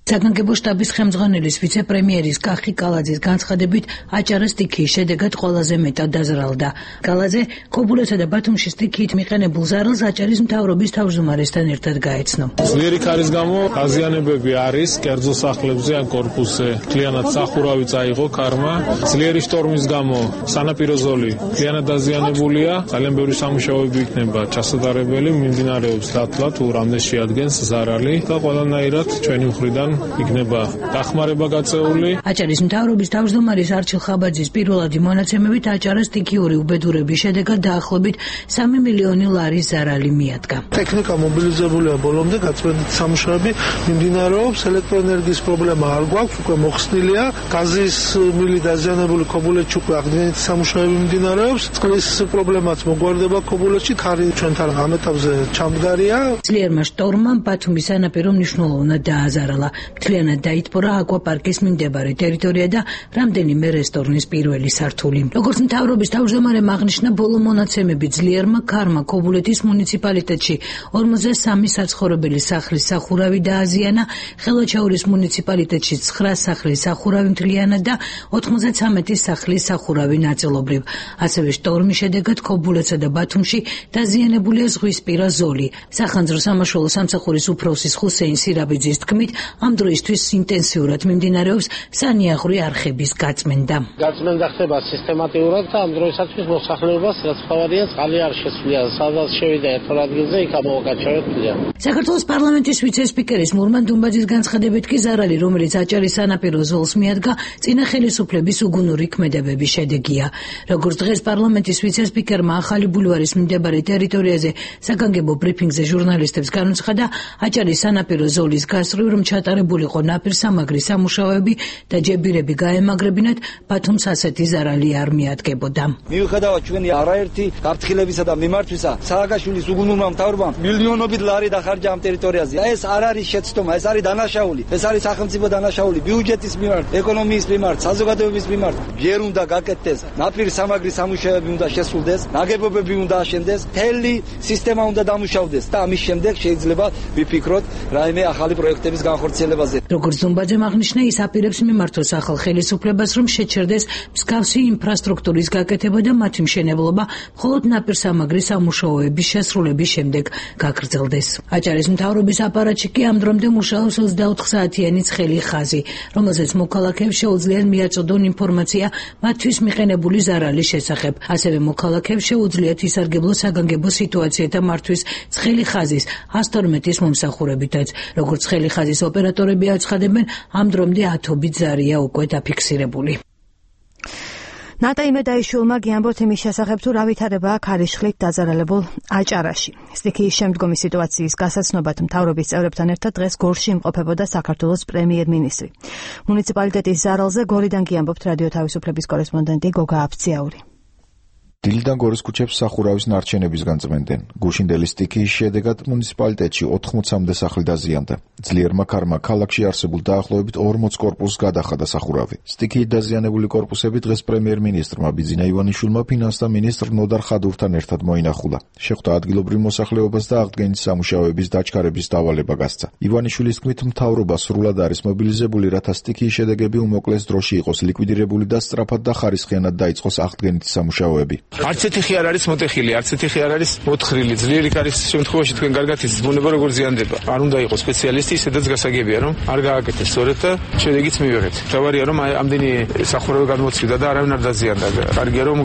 R: საგანგებო შტაბის ხელმძღვანელის ვიცე-პრემიერის კახი კალაძის განცხადებით, აჭარა სტიქიის შედეგად ყველაზე მეტად დაზარალდა. კალაძე ქობულეთსა და ბათუმში სტიქიით მიყენებულ ზარალს აჭარის მთავრობის თავმჯდომარესთან ერთად გაეცნო.
O: ძლიერი ქარის გამო დაზიანებები არის კერძო სახლებზე ან კორპუსზე. მთლიანად სახურავი წაიღო ქარმა. ძლიერი შტორმის გამო სანაპირო ზოლი მთლიანად დაზიანებულია. ძალიან ბევრი სამუშაოები იქნება ჩასატარებელი, მიმდინარეობს დათვლა თუ რამდენ შეადგენს ზარალი და ყველანაირად ჩვენი მხრიდან იქნება დახმარება გაწეული.
R: აჭარის მთავრობის თავმჯდომარის არჩილ ხაბაძის პირველადი მონაცემებით აჭარას სტიქიური უბედურების შედეგად დაახლოებით სამი მილიონი ლარის ზარალი მიადგა.
L: ტექნიკა მობილიზებულია ბოლომდე, გაწმენდით სამუშაოები მიმდინარეობს, ელექტროენერგიის პრობლემა არ გვაქვს, უკვე მოხსნილია, გაზის მილი დაზიანებული ქობულეთში უკვე აღდგენითი სამუშაოები მიმდინარეობს, წყლის პრობლემაც მოგვარდება ქობულეთში, ქარი ჩვენთან ამ ეტაპზე ჩამდგარია.
R: ძლიერმა შტორმმა ბათუმის სანაპირო მნიშვნელოვნად დააზარალა. მთლიანად დაითბორა აკვაპარკის მიმდებარე ტერიტორია და რამდენიმე რესტორნის პირველი სართული. როგორც მთავრობის თავმჯდომარემ აღნიშნა, ბოლო მონაცემები ძლიერმა ქარმა ქობულეთის მუნიციპალიტეტში ორმოცდა სამი საცხოვრებელი სახლის სახურავი დააზიანა, ხელვაჩაურის მუნიციპალიტეტში ცხრა სახლის სახურავი მთლიანად და ოთხმოცდათრამეტი სახლის სახურავი ნაწილობრივ. ასევე შტორმის შედეგად ქობულეთსა და ბათუმში დაზიანებულია ზღვისპირა ზოლი. სახანძრო სამაშველო სამსახურის უფროსის ხუსეინ სირაბიძის თქმით, ამ დროისთვის ინტენსიურად მიმდინარეობს სანიაღვრე არხების გაწმენდა.
S: გაწმენდა ხდება სისტემატიურად და ამ დროისათვის მოსახლეობას რაც ხავარია წყალი არ შეცვლია, სადაც შევიდა ერთად ადგილზე იქ ამოვაკაჩავებია.
R: საქართველოს პარლამენტის ვიცე-სპიკერის მურმან დუმბაძის განცხადებით კი ზარალი, რომელიც აჭარის სანაპირო ზოლს მიადგა, წინა ხელისუფლების უგუნური ქმედებების შედეგია. როგორც დღეს პარლამენტის ვიცე-სპიკერმა ახალი ბულვარის მიმდებარე ტერიტორიაზე საგანგებო ბრიფინგზე ჟურნალისტებს განუცხადა, აჭარის სანაპირო ზოლის გასწვრივ რომ ჩატარებულიყო ნაპირსამაგრი სამუშაოები და ჯებირები გაემაგრებინათ, ბათუმს ასეთი ზარალი არ მიადგებოდა.
T: მიუხედავად ჩვენი არაერთი გაფრთხილებისა და მიმართვისა, სააკაშვილის უგუნურმა მთავრობამ მილიონობით ლარი დახარჯა ამ ტერიტორიაზე. ეს არ არის შეცდომა, ეს არის დანაშაული, ეს არის სახელმწიფო დანაშაული ბიუჯეტის მიმართ, ეკონომიის მიმართ, საზოგადოების მიმართ. ჯერ უნდა გაკეთდეს ნაპირსამაგრი სამუშაოები უნდა შესრულდეს, ნაგებობები უნდა აშენდეს, მთელი სისტემა უნდა დამუშავდეს და ამის შემდეგ შეიძლება ვიფიქროთ რაიმე ახალი პროექტების განხორციელება. შესრულებაზე.
R: როგორც ზუმბაძემ აღნიშნა, ის აპირებს მიმართოს ახალ ხელისუფლებას, რომ შეჩერდეს მსგავსი ინფრასტრუქტურის გაკეთება და მათი მშენებლობა მხოლოდ ნაპირსამაგრის სამუშაოების შესრულების შემდეგ გაგრძელდეს. აჭარის მთავრობის აპარატში კი ამ დრომდე მუშაობს ოცდაოთხ საათიანი ცხელი ხაზი, რომელზეც მოქალაქეებს შეუძლიათ მიაწოდონ ინფორმაცია მათთვის მიყენებული ზარალის შესახებ. ასევე მოქალაქეებს შეუძლიათ ისარგებლოს საგანგებო სიტუაციათა მართვის ცხელი ხაზის ას თორმეტის მომსახურებითაც. როგორც ცხელი ხაზის ოპერატორები აცხადებენ, ამ დრომდე ათობით ზარია უკვე დაფიქსირებული.
A: ნატა იმედაიშვილმა გიამბოთ იმის შესახებ, თუ რა ვითარებაა ქარიშხლით დაზარალებულ აჭარაში. სტიქიის შემდგომი სიტუაციის გასაცნობად მთავრობის წევრებთან ერთად დღეს გორში იმყოფებოდა საქართველოს პრემიერ-მინისტრი. მუნიციპალიტეტის ზარალზე გორიდან გიამბობთ რადიო თავისუფლების კორესპონდენტი გოგა აფციაური.
U: დილიდან გორის ქუჩებს სახურავის ნარჩენებისგან წმენდნენ. გუშინდელი სტიქიის შედეგად მუნიციპალიტეტში ოთხმოცამდე სახლი დაზიანდა. ძლიერმა ქარმა ქალაქში არსებულ დაახლოებით ორმოც კორპუსს გადახადა სახურავი. სტიქიით დაზიანებული კორპუსები დღეს პრემიერ-მინისტრმა ბიძინა ივანიშვილმა ფინანსთა მინისტრ ნოდარ ხადურთან ერთად მოინახულა. შეხვდა ადგილობრივ მოსახლეობას და აღდგენის სამუშაოების დაჩქარების დავალება გასცა. ივანიშვილის თქმით, მთავრობა სრულად არის მობილიზებული, რათა სტიქიის შედეგები უმოკლეს დროში იყოს ლიკვიდირებული და სწრაფად და ხარისხიანად დაიწყოს აღდგენის სამუშაოები.
V: არც ერთი ხი არ არის მოტეხილი, არც ერთი ხი არ არის მოთხრილი. ძლიერი ქარის შემთხვევაში თქვენ კარგად იცით, ბუნება როგორ ზიანდება. არ უნდა იყოს სპეციალისტი, ისედაც გასაგებია, რომ არ გააკეთეს სწორედ და შედეგიც მივიღეთ. თავარია რომ ამდენი სახურავი გადმოცვიდა და არავინ არ დაზიანდა. კარგია რომ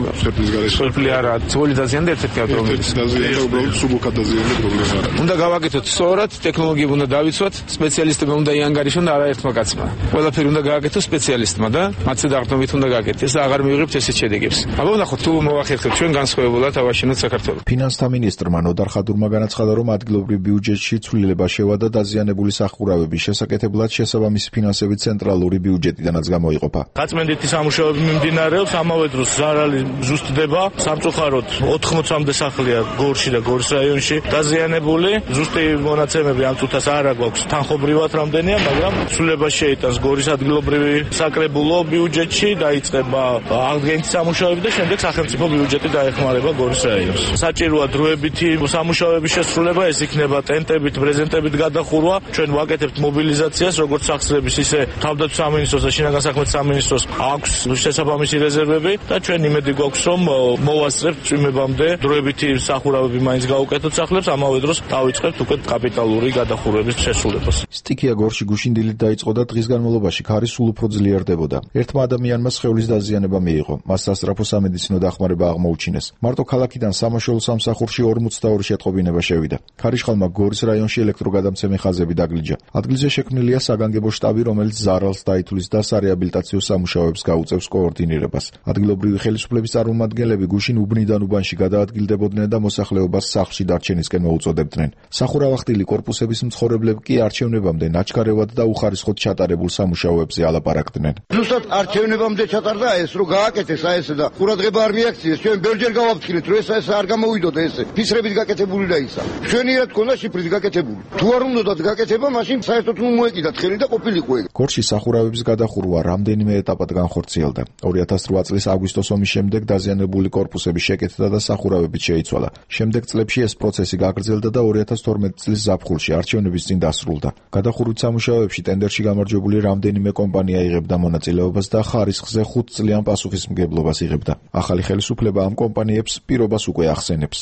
V: სოფლი არა, ძველი დაზიანდა ერთ-ერთი ავტომობილი.
U: დაზიანდა უბრალოდ სუბუქად დაზიანდა პრობლემა არა.
V: უნდა გავაკეთოთ სწორად, ტექნოლოგიები უნდა დავიცვათ, სპეციალისტები უნდა იანგარიშონ და არაერთმა კაცმა. ყველაფერი უნდა გააკეთოს სპეციალისტმა და მათზე დაღდნობით უნდა გააკეთეს და აღარ მივიღებთ ესეთ შედეგებს. აბა ვნახოთ თუ მოახერხებთ ჩვენ განსხვავებულად ავაშენოთ საქართველოს.
U: ფინანსთა მინისტრმა ნოდარ ხადურმა განაცხადა, რომ ადგილობრივ ბიუჯეტში ცვლილება შევადა დაზიანებული სახურავების შესაკეთებლად შესაბამისი ფინანსები ცენტრალური ბიუჯეტიდანაც გამოიყოფა.
D: გაწმენდითი სამუშაოები მიმდინარეობს, ამავე დროს ზარალი ზუსტდება. სამწუხაროდ ოთხმოცამდე სახლია გორში და გორის რაიონში დაზიანებული. ზუსტი მონაცემები ამ წუთას არ აქვს თანხობრივად რამდენია, მაგრამ ცვლილება შეიტანს გორის ადგილობრივი საკრებულო ბიუჯეტში, დაიწყება აღდგენის სამუშაოები და შემდეგ სახელმწიფო ბიუჯეტი დაეხმარება გორის რაიონს. საჭიროა დროებითი სამუშაოების შესრულება, ეს იქნება ტენტებით, პრეზენტებით გადახურვა. ჩვენ ვაკეთებთ მობილიზაციას, როგორც სახსრების, ისე თავდაცვის სამინისტროს და შინაგან საქმეთა სამინისტროს აქვს შესაბამისი რეზერვები და ჩვენ იმედი გვაქვს, რომ მოვასწრებთ წვიმებამდე დროებითი სახურავები მაინც გაუკეთოთ სახლებს, ამავე დროს დავიწყებთ უკვე კაპიტალური გადახურვების შესრულებას.
U: სტიქია გორში გუშინდილით დაიწყო და დღის განმავლობაში ქარი სულ უფრო ძლიერდებოდა. ერთმა ადამიანმა სხეულის დაზიანება მიიღო. მას სასწრაფო სამედიცინო დახმარება აღმოუჩინეს. მარტო ქალაქიდან სამაშველო სამსახურში ორმოცდაორი შეტყობინება შევიდა. ქარიშხალმა გორის რაიონში ელექტროგადამცემი ხაზები დაგლიჯა. ადგილზე შექმნილია საგანგებო შტაბი, რომელიც ზარალს დაითვლის და სარეაბილიტაციო სამუშაოებს გაუწევს კოორდინირებას. ადგილობრივი ხელისუფლების წარმომადგენლები გუშინ უბნიდან უბანში გადაადგილდებოდნენ და მოსახლეობას სახლში დარჩენისკენ მოუწოდებდნენ. სახურავახტილი კორპუსების მცხოვრებლები კი არჩევნებამდე ნაჩქარევად და უხარისხოდ ჩატარებულ სამუშაოებზე ალაპარაკდნენ.
W: ზუსტად არჩევნებამდე ჩატარდა ეს, რომ გააკეთეს აი ეს და ყურადღება არ მიაქციეს. ჩვენ ბევრჯერ გავაფრთხილეთ, რომ ეს ეს არ გამოვიდოდა ესე. ფისრებით გაკეთებული და ისა. ჩვენიერად ქონდა შიფრით გაკეთებული. თუ არ უნდათ გაკეთება, მაშინ საერთოდ ნუ მოეკიდა ხელი და ყოფილიყო ეგ.
U: გორში სახურავების გადახურვა რამდენიმე ეტაპად განხორციელდა. ორი ათას რვა წლის აგვისტოს ომის შემდეგ დაზიანებული კორპუსები შეკეთდა და სახურავებით შეიცვალა. შემდეგ წლებში ეს პროცესი გაგრძელდა და ორი ათას თორმეტი წლის ზაფხულში არჩევნების წინ დასრულდა. გადახურვის სამუშაოებში ტენდერში გამარჯვებული რამდენიმე კომპანია იღებდა მონაწილეობას და ხარისხზე ხუთ წლიან პასუხისმგებლობას იღებდა. ახალი ხელისუფლება ამ კომპანიებს პირობას უკვე ახსენებს.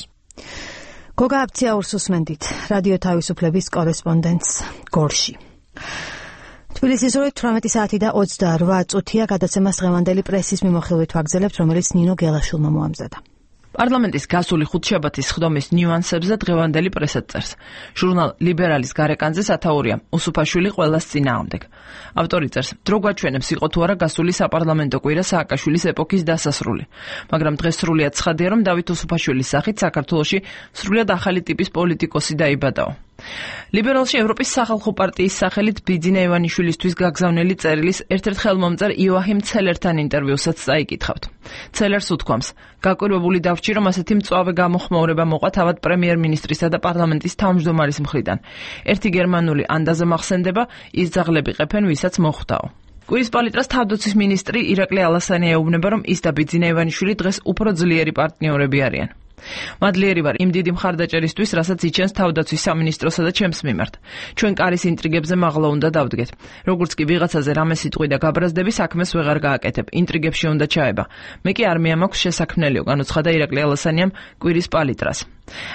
A: გოგა აფციაურს უსმენდით რადიო თავისუფლების კორესპონდენტს გორში. თბილისის ორი თვრამეტი საათი და ოცდარვა წუთია გადაცემას დღევანდელი პრესის მიმოხილვით ვაგრძელებთ, რომელიც ნინო გელაშვილმა მოამზადა.
X: პარლამენტის გასული ხუთშაბათის სხდომის ნიუანსებზე დღევანდელი პრესა წერს. ჟურნალ ლიბერალის გარეკანზე სათაურია უსუფაშვილი ყველას წინააღმდეგ. ავტორი წერს, დრო გვაჩვენებს იყო თუ არა გასული საპარლამენტო კვირა სააკაშვილის ეპოქის დასასრული. მაგრამ დღეს სრულიად ცხადია, რომ დავით უსუფაშვილის სახით საქართველოში სრულიად ახალი ტიპის პოლიტიკოსი დაიბადაო. ლიბერალში ევროპის სახალხო პარტიის სახელით ბიძინა ივანიშვილისთვის გაგზავნილი წერილის ერთ-ერთ ხელმომწერ იოაჰიმ ცელერთან ინტერვიუსაც წაიკითხავთ. ცელერს უთქვამს, გაკვირვებული დავჭი, რომ ასეთი მწვავე გამოხმაურება მოყვა თავად პრემიერ-მინისტრისა და პარლამენტის თავმჯდომარის მხრიდან. ერთი გერმანული ანდაზე მახსენდება, ის ძაღლები ყეფენ, ვისაც მოხვდაო. კვირის პალიტრას თავდაცვის მინისტრი ირაკლი ალასანი ეუბნება, რომ ის და ბიძინა ივანიშვილი დღეს უფრო ძლიერი პარტნიორები არიან. მადლიერი ვარ იმ დიდი მხარდაჭერისთვის, რასაც იჩენს თავდაცვის სამინისტროსა და ჩემს მიმართ. ჩვენ კარის ინტრიგებზე მაღლა უნდა დავდგეთ. როგორც კი ვიღაცაზე რამე სიტყვი და გაბრაზდები, საქმეს ვეღარ გააკეთებ. ინტრიგებში უნდა ჩაება. მე კი არმია მაქვს შესაქმნელიო, განუცხადა ირაკლი ალასანიამ კვირის პალიტრას.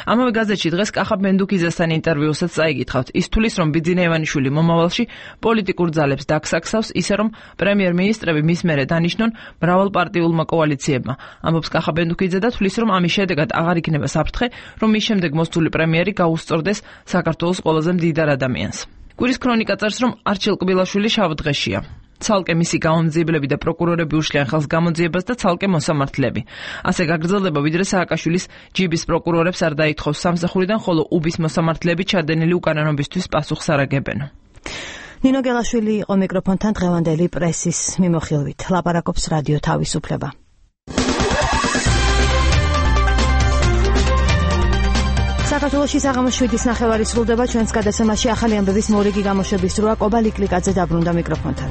X: ამავე გაზეთში დღეს კახაბ მენდუქიძესთან ინტერვიუსაც წაიგითხავთ. ის თulis რომ ბიძინა ივანიშვილი მომავალში პოლიტიკურ ძალებს დაგსაქსავს, ისე რომ პრემიერ-მინისტრები მის მერე დანიშნონ მრავალპარტიულმა კოალიციებმა. ამბობს კახაბ მენდუქიძე და თulis რომ ამის შედეგად აღარ იქნება საფრთხე, რომ მის შემდეგ მოსული პრემიერი გაუსწორდეს საქართველოს ყველაზე მდიდარ ადამიანს. კვირის ქრონიკა წერს, რომ არჩილ კბილაშვილი შავ დღეშია. ცალკე მისი გამომძიებლები და პროკურორები უშლიან ხელს გამოძიებას და ცალკე მოსამართლეები. ასე გაგრძელდება, ვიდრე სააკაშვილის ჯიბის პროკურორებს არ დაითხოვს სამსახურიდან, ხოლო უბის მოსამართლეები ჩადენილი უკანონობისთვის პასუხს არ აგებენ.
A: ნინო გელაშვილი იყო მიკროფონთან დღევანდელი პრესის მიმოხილვით. ლაპარაკობს რადიო თავისუფლება. საქართველოში საღამოს შვიდის ნახევარი სრულდება. ჩვენს გადაცემაში ახალი ამბების მორიგი გამოშვების დროა. კობალ იკლიკაძე დაბრუნდა მიკროფონთან.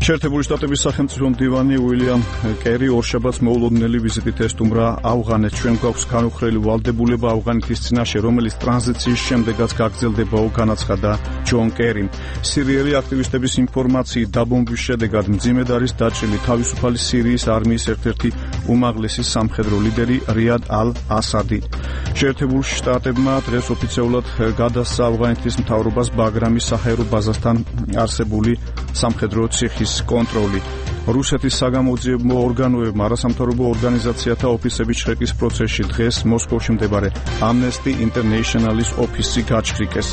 B: შეერთებული შტატების სახელმწიფო მდივანი უილიამ კერი ორშაბათს მოულოდნელი ვიზიტით ესტუმრა ავღანეთს. ჩვენ გვაქვს განუხრელი ვალდებულება ავღანეთის წინაშე, რომელიც ტრანზიციის შემდეგაც გაგრძელდებაო, განაცხადა ჯონ კერიმ. სირიელი აქტივისტების ინფორმაციით დაბომბვის შედეგად მძიმედ არის დაჭრილი თავისუფალი სირიის არმიის ერთ-ერთი უმაღლესი სამხედრო ლიდერი რიად ალ-ასადი. შეერთებულ შტატებმა დღეს ოფიციალურად გადასცა ავღანეთის მთავრობას ბაგრამის საჰაერო ბაზასთან არსებული სამხედრო ციხის კონტროლი. რუსეთის საგამოძიებო ორგანოებმა არასამთავრობო ორგანიზაციათა ოფისების შრეკის პროცესში დღეს მოსკოვში მდებარე Amnesty International-ის ოფისი გაჩხრიკეს.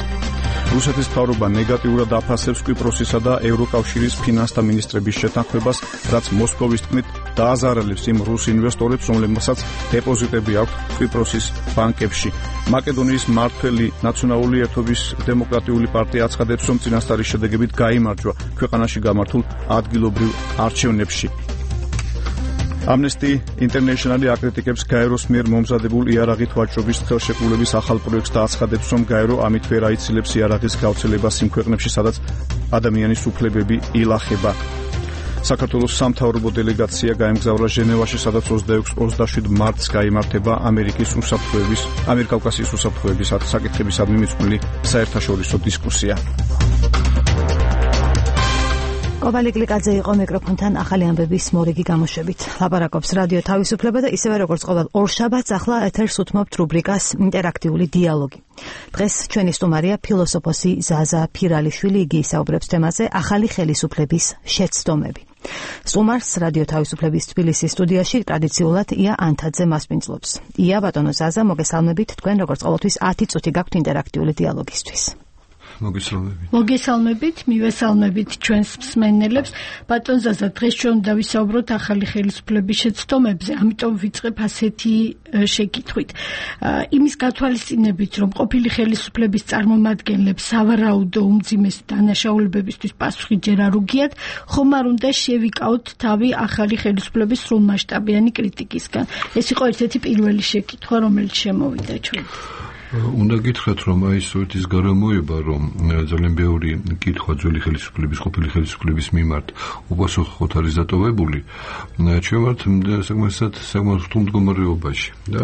B: რუსეთის მთავრობა ნეგატიურად აფასებს კვიპროსისა და ევროკავშირის ფინანსთა მინისტრების შეთანხმებას, რაც მოსკოვის თქმით დააზარალებს იმ რუს ინვესტორებს, რომლებსაც დეპოზიტები აქვთ კვიპროსის ბანკებში. მაკედონიის მმართველი ნაციონალური ერთობის დემოკრატიული პარტია აცხადებს, რომ წინასწარი შედეგებით გაიმარჯვა ქვეყანაში გამართულ ადგილობრივ არჩევნებში. Amnesty International აკრიტიკებს გაეროს მიერ მომზადებულ იარაღით ვაჭრობის ხელშეკრულების ახალ პროექტს და აცხადებს, რომ გაერო ამით ვერ აიცილებს იარაღის გავრცელებას იმ ქვეყნებში, სადაც ადამიანის უფლებები ილახება. საქართველოს სამთავრობო დელეგაცია გაემგზავრა ჟენევაში, სადაც ოცდაექვსი ოცდაშვიდ მარტს გაიმართება ამერიკის უსაფრთხოების, ამერიკავკასიის უსაფრთხოების საკითხებისადმი მიძღვნილი საერთაშორისო დისკუსია.
A: კობალ იკლიკაძე იყო მიკროფონთან ახალი ამბების მორიგი გამოშვებით. ლაპარაკობს რადიო თავისუფლება და ისევე როგორც ყოველ ორშაბათს ახლა ეთერს უთმობთ რუბრიკას ინტერაქტიული დიალოგი. დღეს ჩვენი სტუმარია ფილოსოფოსი ზაზა ფირალიშვილი, იგი ისაუბრებს თემაზე ახალი ხელისუფლების შეცდომები. სტუმარს რადიო თავისუფლების თბილისის სტუდიაში ტრადიციულად ია ანთაძე მასპინძლობს. ია, ბატონო ზაზა, მოგესალმებით. თქვენ როგორც ყოველთვის ათი წუთი გაქვთ ინტერაქტიული დიალოგისთვის.
C: მოგესალმებით. მოგესალმებით, მივესალმებით ჩვენს მსმენელებს. ბატონ ზაზა, დღეს ჩვენ უნდა ვისაუბროთ ახალი ხელისუფლების შეცდომებზე, ამიტომ ვიწყებ ასეთი შეკითხვით. იმის გათვალისწინებით, რომ ყოფილი ხელისუფლების წარმომადგენლებს სავარაუდო უმძიმესი დანაშაულებებისთვის პასუხი ჯერ არ უგიათ, ხომ არ უნდა შევიკავოთ თავი ახალი ხელისუფლების სრულმასშტაბიანი კრიტიკისგან. ეს იყო ერთ-ერთი პირველი შეკითხვა, რომელიც შემოვიდა ჩვენ.
E: უნდა გითხრათ, რომ აი სწორედ ის გარემოება, რომ ძალიან ბევრი კითხვა ძველი ხელისუფლების, ყოფილი ხელისუფლების მიმართ უპასუხოდ არის დატოვებული, ჩვენ ვართ საკმარისად საკმაოდ რთულ მდგომარეობაში და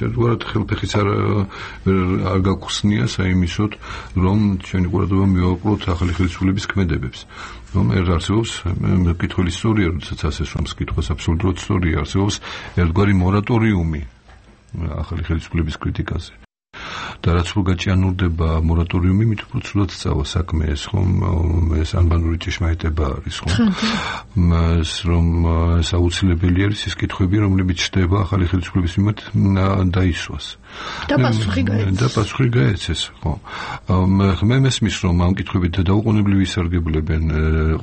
E: ერთგვარად ხელფეხიც არ არ გაგხსნია საიმისოდ, რომ ჩვენი ყურადღება მივაუკლოთ ახალი ხელისუფლების ქმედებებს. რომ არსებობს კითხველი სწორია, როდესაც ასე სვამს კითხვას აბსოლუტურად სწორია, არსებობს ერთგვარი მორატორიუმი ახალი ხელისუფლების კრიტიკაზე. და რაც რო გაჭიანურდება მორატორიუმი, მით უფრო ცუდად სწავა საქმე ეს, ხომ, ეს ანბანური ჭეშმარიტება არის, ხომ? მას რომ ეს აუცილებელი არის ის კითხვები, რომლებიც ჩდება ახალი ხელისუფლების მიმართ დაისვას.
C: და პასუხი გაეცეს.
E: და პასუხი გაეცეს, ხო. მე მესმის, რომ ამ კითხვებით დაუყოვნებლივ ისარგებლებენ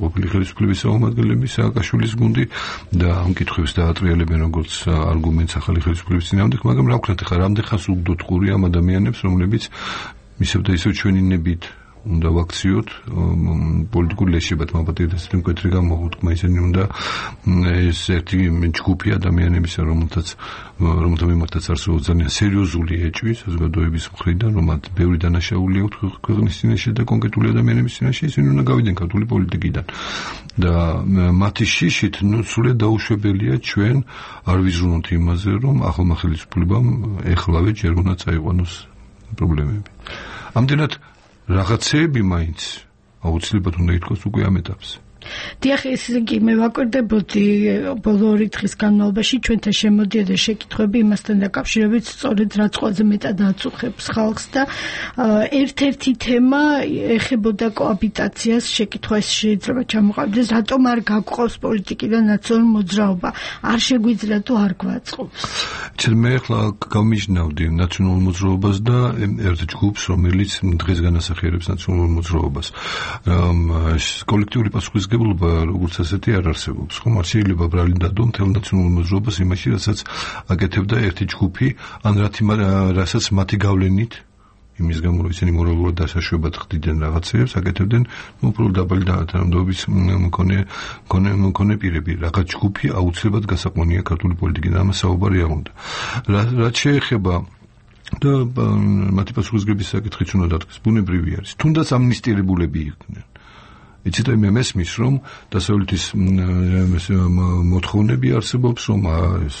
E: ყოფილი ხელისუფლების წარმომადგენლები, სააკაშვილის გუნდი და ამ კითხვებს დაატრიალებენ როგორც არგუმენტს ახალი ხელისუფლების წინააღმდეგ, მაგრამ რა ვქნათ, ხა რამდენ ხანს უგდოთ ყური ამ ადამიანებს, რომლებიც ისევ და ისევ ჩვენი ნებით უნდა ვაქციოთ პოლიტიკური ლეშებად მაპატიეთ მკვეთრი გამოხუტკმა ისინი უნდა ეს ერთი ჯგუფი ადამიანებისა რომელთაც რომელთა მიმართაც არსებობს ძალიან სერიოზული ეჭვი საზოგადოების მხრიდან რომელთ ბევრი დანაშაული აქვს ქვეყნის წინაშე და კონკრეტული ადამიანების წინაშე ისინი უნდა გავიდნენ ქართული პოლიტიკიდან და მათი შიშით ნუ სრულად დაუშვებელია ჩვენ არ ვიზრუნოთ იმაზე რომ ახალმა ხელისუფლებამ ეხლავე ჯერ უნდა წაიყვანოს პრობლემები ამდენად რაღაცეები მაინც აუცილებლად უნდა ითქვას უკვე ამ ეტაპზე
C: დიახ, ესე იგი მე ვაკვირდებოდი ბოლო ორი დღის განმავლობაში ჩვენთან შემოდიოდა შეკითხვები იმასთან დაკავშირებით, სწორედ რაც ყველაზე მეტად აწუხებს ხალხს და ერთ-ერთი თემა ეხებოდა კოაბიტაციას, შეკითხვა შეიძლება ჩამოყალიბდეს, რატომ არ გაგყავს პოლიტიკიდან ნაციონალური მოძრაობა, არ შეგვიძლია თუ არ გვაწყობს.
E: მე ახლა გამიჯნავდი ნაციონალურ მოძრაობას და ერთ ჯგუფს, რომელიც დღეს განასახიერებს ნაციონალურ მოძრაობას. კოლექტიური პასუხისმგებლობა როგორც ასეთი არ არსებობს. ხომ არ შეიძლება ბრალი დადო მთელ ნაციონალურ მოძრაობას იმაში, რასაც აკეთებდა ერთი ჯგუფი, ან რასაც მათი გავლენით იმის გამო რომ ისინი მორალურად დასაშვებად ხდიდნენ რაღაცებს, აკეთებდნენ უბრალოდ დაბალი თანამდებობის მქონე მქონე მქონე პირები. რაღაც ჯგუფი აუცილებლად გასაყვანია ქართული პოლიტიკიდან, ამას საუბარი არ უნდა. რაც შეეხება და მათი პასუხისმგებლობის საკითხიც უნდა დადგეს, ბუნებრივი არის. თუნდაც ამნისტირებულები იყვნენ. იცით მე მესმის რომ დასავლეთის მოთხოვნები არსებობს რომ ეს